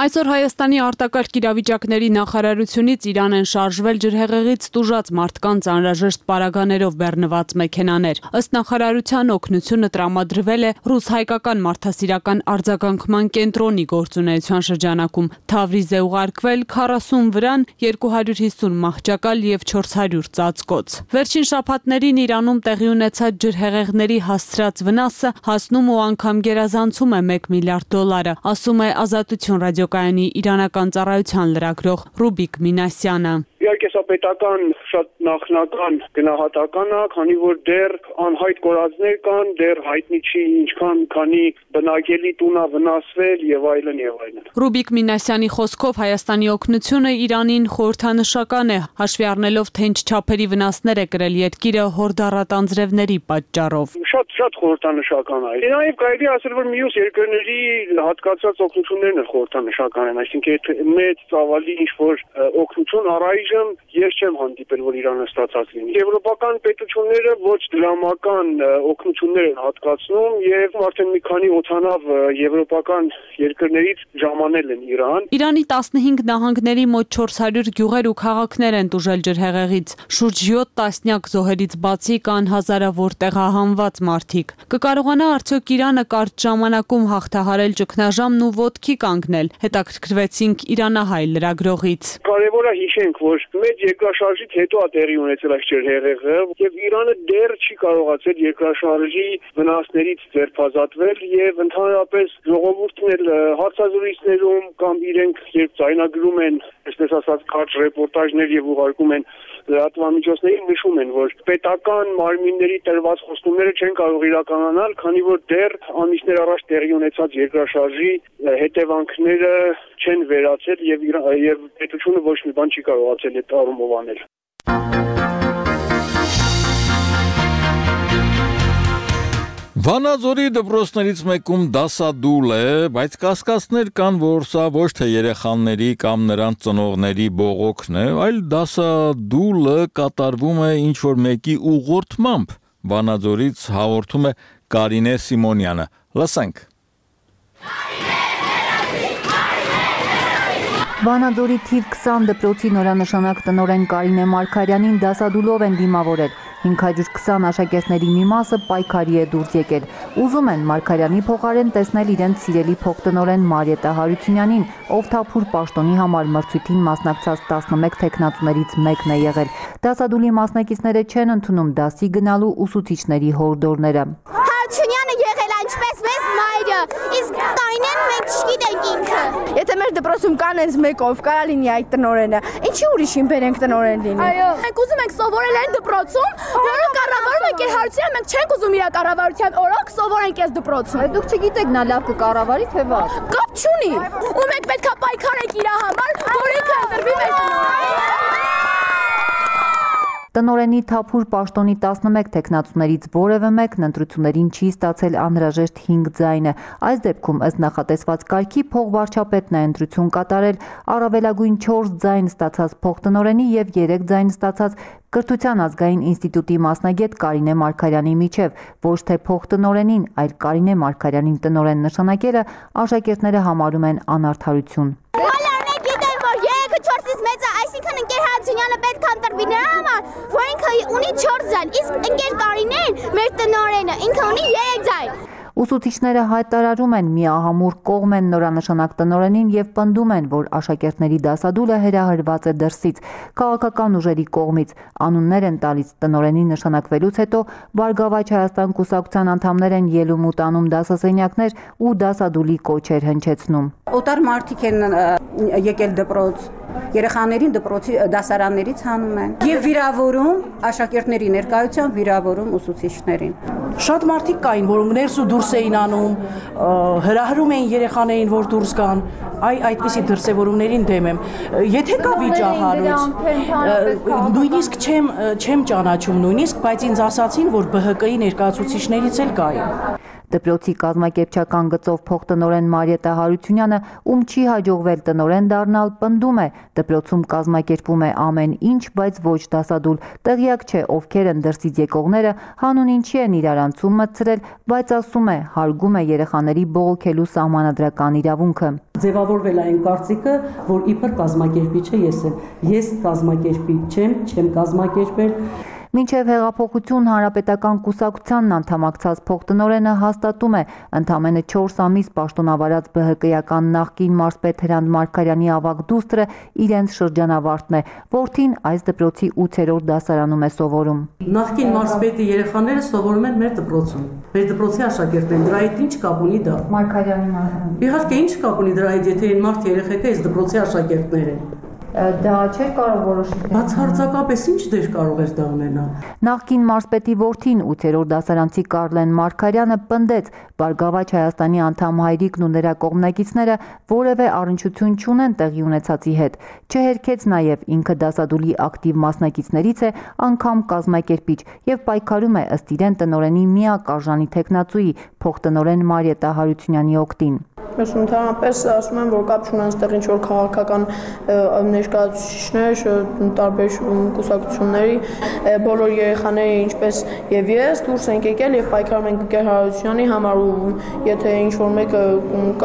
Այսօր Հայաստանի արտակարգ իրավիճակների նախարարությունից Իրան են շարժվել ջրհեղեղից տուժած մարդկանց անհրաժեշտ պարագաներով բեռնված մեքենաներ։ Ըստ նախարարության օգնությունը տրամադրվել է ռուս-հայկական մարդասիրական արձագանքման կենտրոնի գործունեության շրջանակում։ Թավրիզ է ուղարկվել քառասուն վրան, երկու հարյուր հիսուն մահճակալ եւ չորս հարյուր ծածկոց։ Վերջին շաբաթներին Իրանում տեղի ունեցած ջրհեղեղների հասցրած վնասը հասնում ու անգամ գերազանցում է մեկ միլիարդ դոլարը, ասում է Ազատություն ռադիոկայանի իրանական ծառայության լրագրող Ռուբիկ Մինասյանը։ Իհարկե սա պետական շատ նախնական գնահատական է, քանի որ դեռ անհայտ կորածներ կան, դեռ հայտնի չի ինչքան քանի բնակելի տուն է վնասվել եւ այլն եւ այլն։ Ռուբիկ Մինասյանի խոսքով Հայաստանի օգնությունը Իրանին խորհրդանշական է, հաշվի առնելով թե ինչ չափերի վնասներ է կրել երկիրը հորդառատ անձրևների պատճառով։ Շատ շատ խորհրդանշական է։ Նաեւ կարելի է ասել, որ մյուս երկրների հատկացած օգնություններն էլ խորհրդանշական են, այսինքն այդ մեծ ծավալի ինչ որ օգնություն առայժմ այժմ ես չեմ հանդիպել, որ Իրանը ստացած լինի։ Եվրոպական պետությունները ոչ դրամական օգնություններ են հատկացնում եւ արդեն մի քանի օդանավ եվրոպական երկրներից ժամանել են Իրան։ Իրանի տասնհինգ նահանգների մոտ չորս հարյուր գյուղեր ու քաղաքներ են տուժել ջրհեղեղից։ Շուրջ յոթ տասնյակ զոհերից բացի կան հազարավոր տեղահանված մարդիկ։ Կկարողանա արդյոք Իրանը կարճ ժամանակում հաղթահարել ճգնաժամն ու ոտքի կանգնել։ Հետաքրքրվեցինք իրանահայ լրագրողից։ Կարևոր է հիշենք, որ մեծ երկրաշարժից հետո է տեղի ունեցել այս ջրհեղեղը եւ Իրանը դեռ չի կարողացել երկրաշարժի վնասներից ձերբազատվել եւ ընդհանրապես ժողովուրդն էլ հարցազրույցներում կամ իրենք երբ ձայնագրում են, այսպես ասած, կարճ ռեպորտաժներ եւ ուղարկում են լրատվամիջոցներին նշում են, որ պետական մարմինների տրված խոստումները չեն կարող իրականանալ, քանի որ դեռ ամիսներ առաջ տեղի ունեցած երկրաշարժի հետևանքները չեն վերացել եւ եւ պետությունը ոչ մի բան չի կարողացել այդ առումով անել։ Վանաձորի դպրոցներից մեկում դասադուլ է, բայց կասկածներ կան, որ սա ոչ թե երեխաների կամ նրանց ծնողների բողոքն է, այլ դասադուլը կատարվում է ինչ-որ մեկի ուղղորդմամբ։ Վանաձորից հաղորդում է Կարինե Սիմոնյանը։ Լսենք։ Վանաձորի թիվ քսան դպրոցի նորանշանակ տնօրեն Կարինե Մարգարյանին դասադուլով են դիմավորել։ հինգ հարյուր քսան աշակերտների մի մասը պայքարի է դուրս եկել։ Ուզում են Մարգարյանի փոխարեն տեսնել իրենց սիրելի փոխտնօրեն Մարիետա Հարությունյանին, ով Թափուր պաշտոնի համար մրցույթին մասնակցած տասնմեկ թեկնածուներից մեկն է եղել։ Դասադուլի մասնակիցները չեն ընդունում դասի գնալու ուսուցիչների հորդորները։ Հարությունյանը եղել այնպես մեծ մայրը, իսկ Կարինեն մենք չգիտենք ինքը։ Եթե մեր դպրոցում կան այս մեկով, կարա լինի այդ տնօրենը, ինչի ուրիշին բերենք տնօրեն լինի։ Այո։ Մենք ուզում ենք սովորել այն դպրոցում, որը կառավարում ենք իր Հարությունյանը, մենք չենք ուզում իր կառավարության օրոք սովորենք այս դպրոցում։ Դուք չգիտեք նա լավ կկառավարի թե վատ։ Կապ չունի։ Ու մենք պետքա պայքարենք իր համար, որ ինքը ընտրվի մեր տնօրեն։ Տնօրենի Թափուր պաշտոնի տասնմեկ թեկնածուներից որևէ մեկն ընտրություններին չի ստացել անհրաժեշտ հինգ ձայնը։ Այս դեպքում ըստ նախատեսված կարգի փոխվարչապետն է ընտրություն կատարել, առավելագույն չորս ձայն ստացած փոխտնօրենի եւ երեք ձայն ստացած Կրթության ազգային ինստիտուտի մասնագետ Կարինե Մարգարյանի միջև, ոչ թե փոխտնօրենին, այլ Կարինե Մարգարյանին տնօրեն նշանակելը աշակերտները համարում են անարդարություն։ Այսինքն ընկեր Հարությունյանը պետք է ընտրվի նրա համար, որ ինքը ունի չորս ձայն, իսկ ընկեր Կարինեն, մեր տնօրենը, ինքը ունի երեք ձայն։ Ուսուցիչները հայտարարում են միահամուռ կողմ են նորանշանակ տնօրենին եւ պնդում են, որ աշակերտների դասադուլը հրահրված է դրսից, քաղաքական ուժերի կողմից, անուններ են տալիս տնօրենի նշանակվելուց հետո Բարգավաճ Հայաստան կուսակցության անդամներ են ելում ու տանում դասասենյակներ ու դասադուլի կոչեր հնչեցնում։ Օտար մարդիկ են եկել դպրոց, երեխաներին դպրոցի դասարաններից հանում են եւ վիրավորում աշակերտների ներկայությամբ վիրավորում ուսուցիչներին։ Շատ մարդիկ կային, որ ներս ու դուրս էին անում, հրահրում էին երեխաներին, որ դուրս գան, այ այդպիսի դրսևորումներին դեմ եմ։ Եթե կա վիճահարույց, նույնիսկ չեմ չեմ ճանաչում նույնիսկ, բայց ինձ ասացին, որ B H K-ի ներկայացուցիչներից էլ կային։ Դպրոցի կազմակերպչական գծով փոխտնօրեն Մարիետա Հարությունյանը, ում չի հաջողվել տնօրեն դառնալ, պնդում է, դպրոցում կազմակերպում է ամեն ինչ, բայց ոչ դասադուլ։ Տեղյակ չէ, ովքեր են դրսից եկողները, հանուն ինչի են իրարանցում մտցրել, բայց ասում է, հարգում է երեխաների բողոքելու սահմանադրական իրավունքը։ Ձևավորվել է այն կարծիքը, որ իբր կազմակերպիչը ես եմ։ Ես կազմակերպիչ չեմ, չեմ կազմակերպել։ Մինչև հեղափոխություն հանրապետական կուսակցությանն անդամակցած փոխտնօրենը հաստատում է, ընդամենը չորս ամիս պաշտոնավարած B H K-ական նախկին մարզպետ Հրանտ Մարգարյանի ավագ դուստրը իրենց շրջանավարտն է, որդին այս դպրոցի ութերորդ դասարանում է սովորում։ Նախկին մարզպետի երեխաները սովորում են մեր դպրոցում։ Մեր դպրոցի աշակերտներ են, դրա հետ ինչ կապ ունի դա։ Մարգարյանի մարզպետը։ Իհարկե ինչ կապ ունի դրա հետ, եթե այն մարդ երեխեքը այս դպրոցի աշակերտներ են։ Դա չէր կարող որոշել։ Բացարձակապես ինչ դեր կարող էր դա ունենալ։ Նախկին մարզպետի որդին ութերորդ դասարանցի Կարլեն Մարգարյանը պնդեց, Բարգավաճ Հայաստանի անդամ հայրիկն ու նրա կողմնակիցները որևէ առնչություն չունեն տեղի ունեցածի հետ։ Չհերքեց նաև ինքը դասադուլի ակտիվ մասնակիցներից է, անգամ կազմակերպիչ եւ պայքարում է ըստ իրեն տնօրենի միակ արժանի թեկնածուի փոխտնօրեն Մարիետա Հարությունյանի օգտին։ Ես ընդհանրապես ասում եմ, որ կապ չունեն այստեղ ինչ որ քաղաքական ներկայացուցիչներ, տարբեր կուսակցությունների, բոլոր երեխաները ինչպես եւ ես դուրս ենք եկել եւ պայքարում ենք Գեր Հարությունյանի համար ու եթե ինչ որ մեկը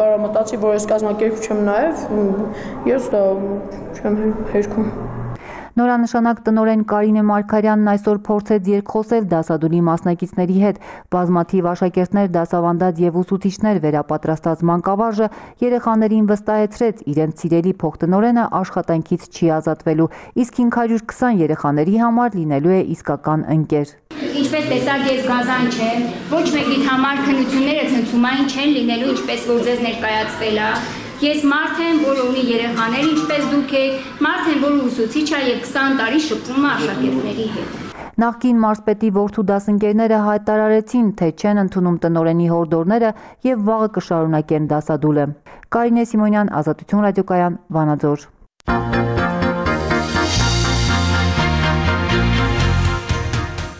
կարա մտածի, որ ես կազմակերպիչ եմ նաեւ, ես դա չեմ հերքում։ Նորանշանակ տնօրեն Կարինե Մարգարյանն այսօր փորձեց երկխոսել դասադուլի մասնակիցների հետ։ Բազմաթիվ աշակերտներ, դասավանդած եւ ուսուցիչներ վերապատրաստած մանկավարժը երեխաներին վստահեցրեց իրենց սիրելի փոխտնօրենը աշխատանքից չի ազատվելու, իսկ հինգ հարյուր քսան երեխաների համար լինելու է իսկական ընկեր։ Ինչպես տեսակ ես գազան չեմ, ոչ մեկի համար քննությունները ցնցումային չեն լինելու, ինչպես որ ձեզ ներկայացվել է։ Ես մարդ եմ, որ ունի երեխաներ, ինչպես դուք եք, մարդ եմ, որ ուսուցիչ է եւ քսան տարի շփվում է աշակերտների հետ։ Նախկին մարզպետի որդու դասընկերները հայտարարեցին, թե չեն ընդունում տնօրենի հորդորները եւ վաղը կշարունակեն դասադուլը։ Կարինե Սիմոնյան, Ազատություն ռադիոկայան, Վանաձոր։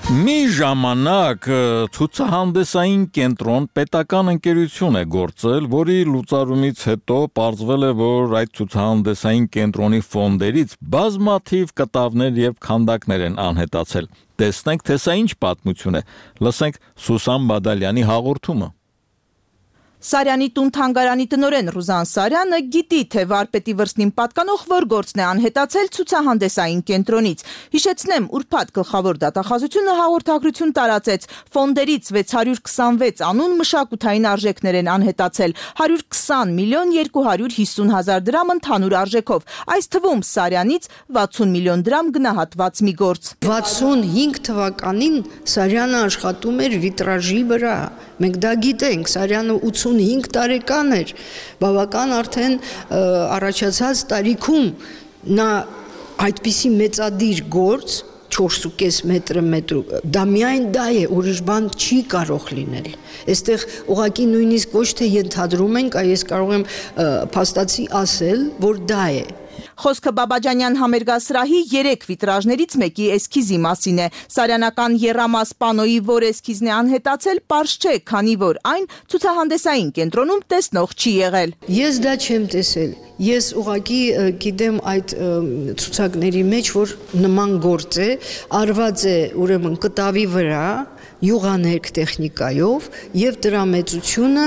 Մի ժամանակ ցուցահանդեսային կենտրոն պետական ընկերություն է գործել, որի լուծարումից հետո պարզվել է, որ այդ ցուցահանդեսային կենտրոնի ֆոնդերից բազմաթիվ կտավներ եւ քանդակներ են անհետացել։ Տեսնենք, թե սա ինչ պատմություն է։ Լսենք Սուսան Բադալյանի հաղորդումը։ Սարյանի տուն թանգարանի տնօրեն Ռուզան Սարյանը գիտի, թե վարպետի վրձնին պատկանող որ գործն է անհետացել ցուցահանդեսային կենտրոնից։ Հիշեցնեմ, ուրբաթ գլխավոր դատախազությունը հաղորդագրություն տարածեց, ֆոնդերից վեց հարյուր քսանվեց անուն մշակութային արժեքներ են անհետացել, հարյուր քսան միլիոն երկու հարյուր հիսուն հազար դրամ ընդհանուր արժեքով, այս թվում Սարյանից վաթսուն միլիոն դրամ գնահատված մի գործ։ վաթսունհինգ թվականին Սարյանը աշխատում էր վիտրաժի վրա, մենք դա գիտենք, Սարյանը ութսունհինգ տարեկան էր, բավական արդեն առաջացած տարիքում նա այդպիսի մեծադիր գործ, չորսուկես մետրը մետրու, դա միայն դա է, ուրիշ բան չի կարող լինել։ Այստեղ ուղղակի նույնիսկ ոչ թե ենթադրում ենք, այ ես կարող եմ փաստացի ասել, որ դա է։ Խոսքը Բաբաջանյան համերգասրահի երեք վիտրաժներից մեկի էսքիզի մասին է։ Սարյանական եռամաս պանոյի որ էսքիզն է անհետացել, պարզ չէ, քանի որ այն ցուցահանդեսային կենտրոնում տեսնող չի եղել։ Ես դա չեմ տեսել։ Ես ուղղակի գիտեմ այդ ցուցակների մեջ, որ նման գործ է, արված է ուրեմն կտավի վրա, յուղաներկ տեխնիկայով եւ դրա մեծությունը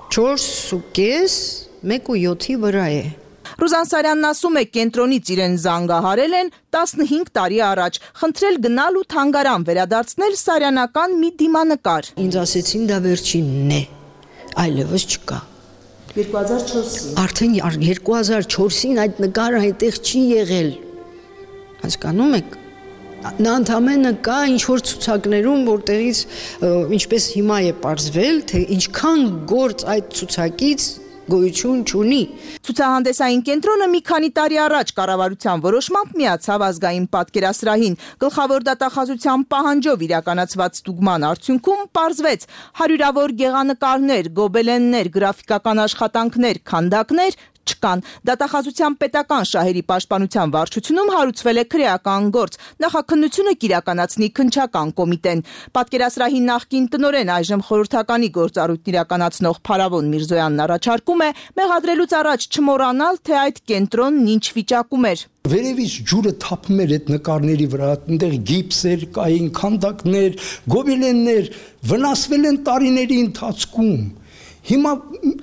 չորսուկես մեկ ու յոթի վրա է։ Ռուզան Սարյանն ասում է, կենտրոնից իրեն զանգահարել են տասնհինգ տարի առաջ, խնդրել գնալ ու թանգարան վերադարձնել սարյանական մի դիմանկար։ Ինձ ասեցին դա վերջինն է, այլևս չկա։ երկու հազար չորսին Արդեն երկու հազար չորսին այդ նկարը այնտեղ չի եղել։ Հասկանում եք։ Նա ընդամենը կա ինչ-որ ցուցակներում, որտեղից ինչպես հիմա է պարզվել, թե ինչքան գործ այդ ցուցակից գոյություն չունի։ Ցուցահանդեսային կենտրոնը մի քանի տարի առաջ կառավարության որոշմամբ միացավ ազգային պատկերասրահին։ Գլխավոր դատախազության պահանջով իրականացված ստուգման արդյունքում պարզվեց հարյուրավոր գեղանկարներ, գոբելեններ, գրաֆիկական աշխատանքներ, քանդակներ չկան։ Դատախազության պետական շահերի պաշտպանության վարչությունում հարուցվել է քրեական գործ։ Նախաքննությունը կիրականացնի քննչական կոմիտեն։ Պատկերասրահի նախկին տնօրեն այժմ խորհրդականի գործառույթն իրականացնող Փարավոն Միրզոյանն առաջարկում է մեղադրելուց առաջ չմոռանալ, թե այդ կենտրոնն ինչ վիճակում էր։ Վերևից ջուրը թափում էր այդ նկարների վրա, այնտեղ գիպսեր կային, քանդակներ, գոբելեններ, վնասվել են տարիների ընթացքում։ Հիմա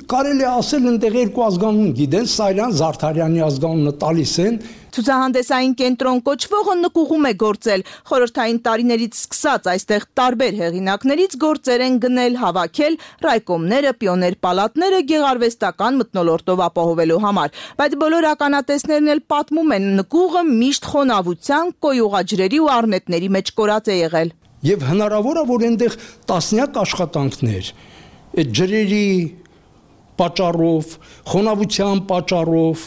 կարելի է ասել այնտեղ երկու ազգանուն գիտեն, Սարյան, Զարդարյանի ազգանունը տալիս են։ Ցուցահանդեսային կենտրոն կոչվողը նկուղում է գործել։ Խորհրդային տարիներից սկսած այստեղ տարբեր հեղինակներից գործեր են գնել, հավաքել, ռայկոմները, պիոներ պալատները գեղարվեստական մթնոլորտով ապահովելու համար։ Բայց բոլոր ականատեսներն էլ պատմում են, նկուղը միշտ խոնավության, կոյուղաջրերի ու առնետների մեջ կորած է եղել։ Եվ հնարավոր է, որ այնտեղ տասնյակ աշխատանքներ այդ ջրերի պատճառով, խոնավության պատճառով,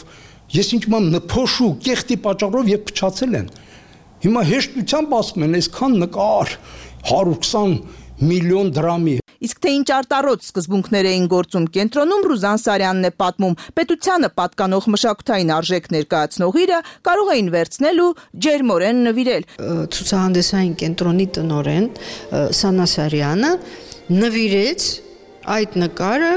ես ինչ-որ նփոշու կեղտի պատճառով եւ փչացել են։ Հիմա հեշտությամբ ասում են, այսքան նկար հարյուր քսան միլիոն դրամի։ Իսկ թե ինչ արտառոց սկզբունքներ էին գործում կենտրոնում, Ռուզան Սարյանն է պատմում։ Պետությանը պատկանող մշակութային արժեք ներկայացնող իրը կարող էին վերցնել ու ջերմորեն նվիրել։ Ցուցահանդեսային կենտրոնի տնօրեն Սանա Սարյանը նվիրեց այդ նկարը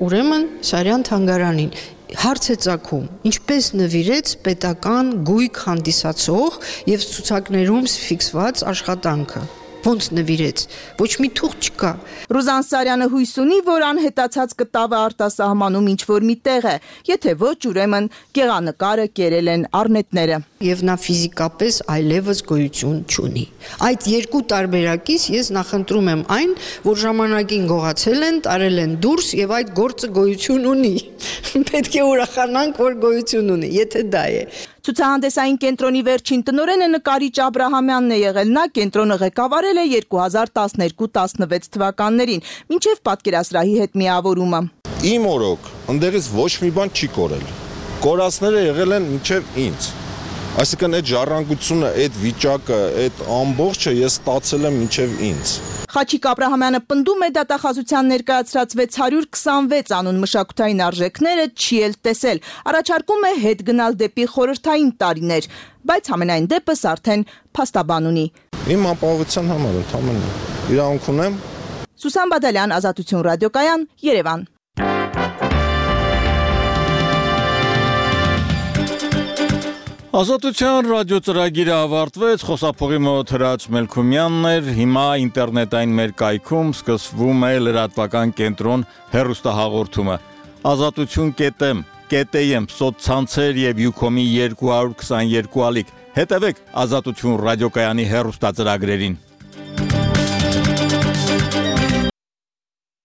ուրեմն Սարյան թանգարանին հարց է ծագում, ինչպես նվիրեց պետական գույք հանդիսացող եւ ցուցակներում ֆիքսված աշխատանքը։ Ոնց նվիրեց, ոչ մի թուղթ չկա։ Ռուզան Սարյանը հույս ունի, որ անհետացած կտավը արտասահմանում ինչ-որ մի տեղ է, եթե ոչ, ուրեմն գեղանկարը կերել են առնետները։ Եվ նա ֆիզիկապես այլևս գոյություն չունի։ Այդ երկու տարբերակից ես նախընտրում եմ այն, որ ժամանակին գողացել են, տարել են դուրս եւ այդ գործը գոյություն ունի։ Պետք է ուրախանանք, որ գոյություն ունի, եթե դա է։ Ցուցահանդեսային կենտրոնի վերջին տնօրենը նկարիչ Աբրահամյանն է եղել, նա կենտրոնը ղեկավարել է երկու հազար տասներկու տասնվեց թվականներին, մինչև պատկերասրահի հետ միավորումը։ Իմ օրոք, ընդերից ոչ մի բան չի կորել։ Կորածները եղել են մինչև ինձ։ Այսինքն այդ ժառանգությունը, այդ վիճակը, այդ ամբողջը ես ստացել եմ մինչև ինձ։ Խաչիկ Աբրահամյանը պնդում է դատախազության ներկայացրած վեց հարյուր քսանվեց անուն մշակութային արժեքները չի էլ տեսել, առաջարկում է հետ գնալ դեպի խորհրդային տարիներ, բայց համենայն դեպս արդեն փաստաբան ունի։ Իմ ապահովության համար ընդհանրապես իրավունք ունեմ։ Սուսան Բադալյան, Ազատություն ռադիոկայան, Երևան։ Ազատության ռադիո ծրագիրը ավարտվեց, խոսափողի մոտ Հրաչ Մելքումյանն էր, հիմա ինտերնետային մեր կայքում սկսվում է լրատվական կենտրոն հեռուստահաղորդումը։ Ազատություն կետեմ, կետեմ, սոցցանցեր եւ Յուքոմի երկու հարյուր քսաներկու ալիք։ Հետևեք Ազատություն ռադիոկայանի հեռուստածրագրերին։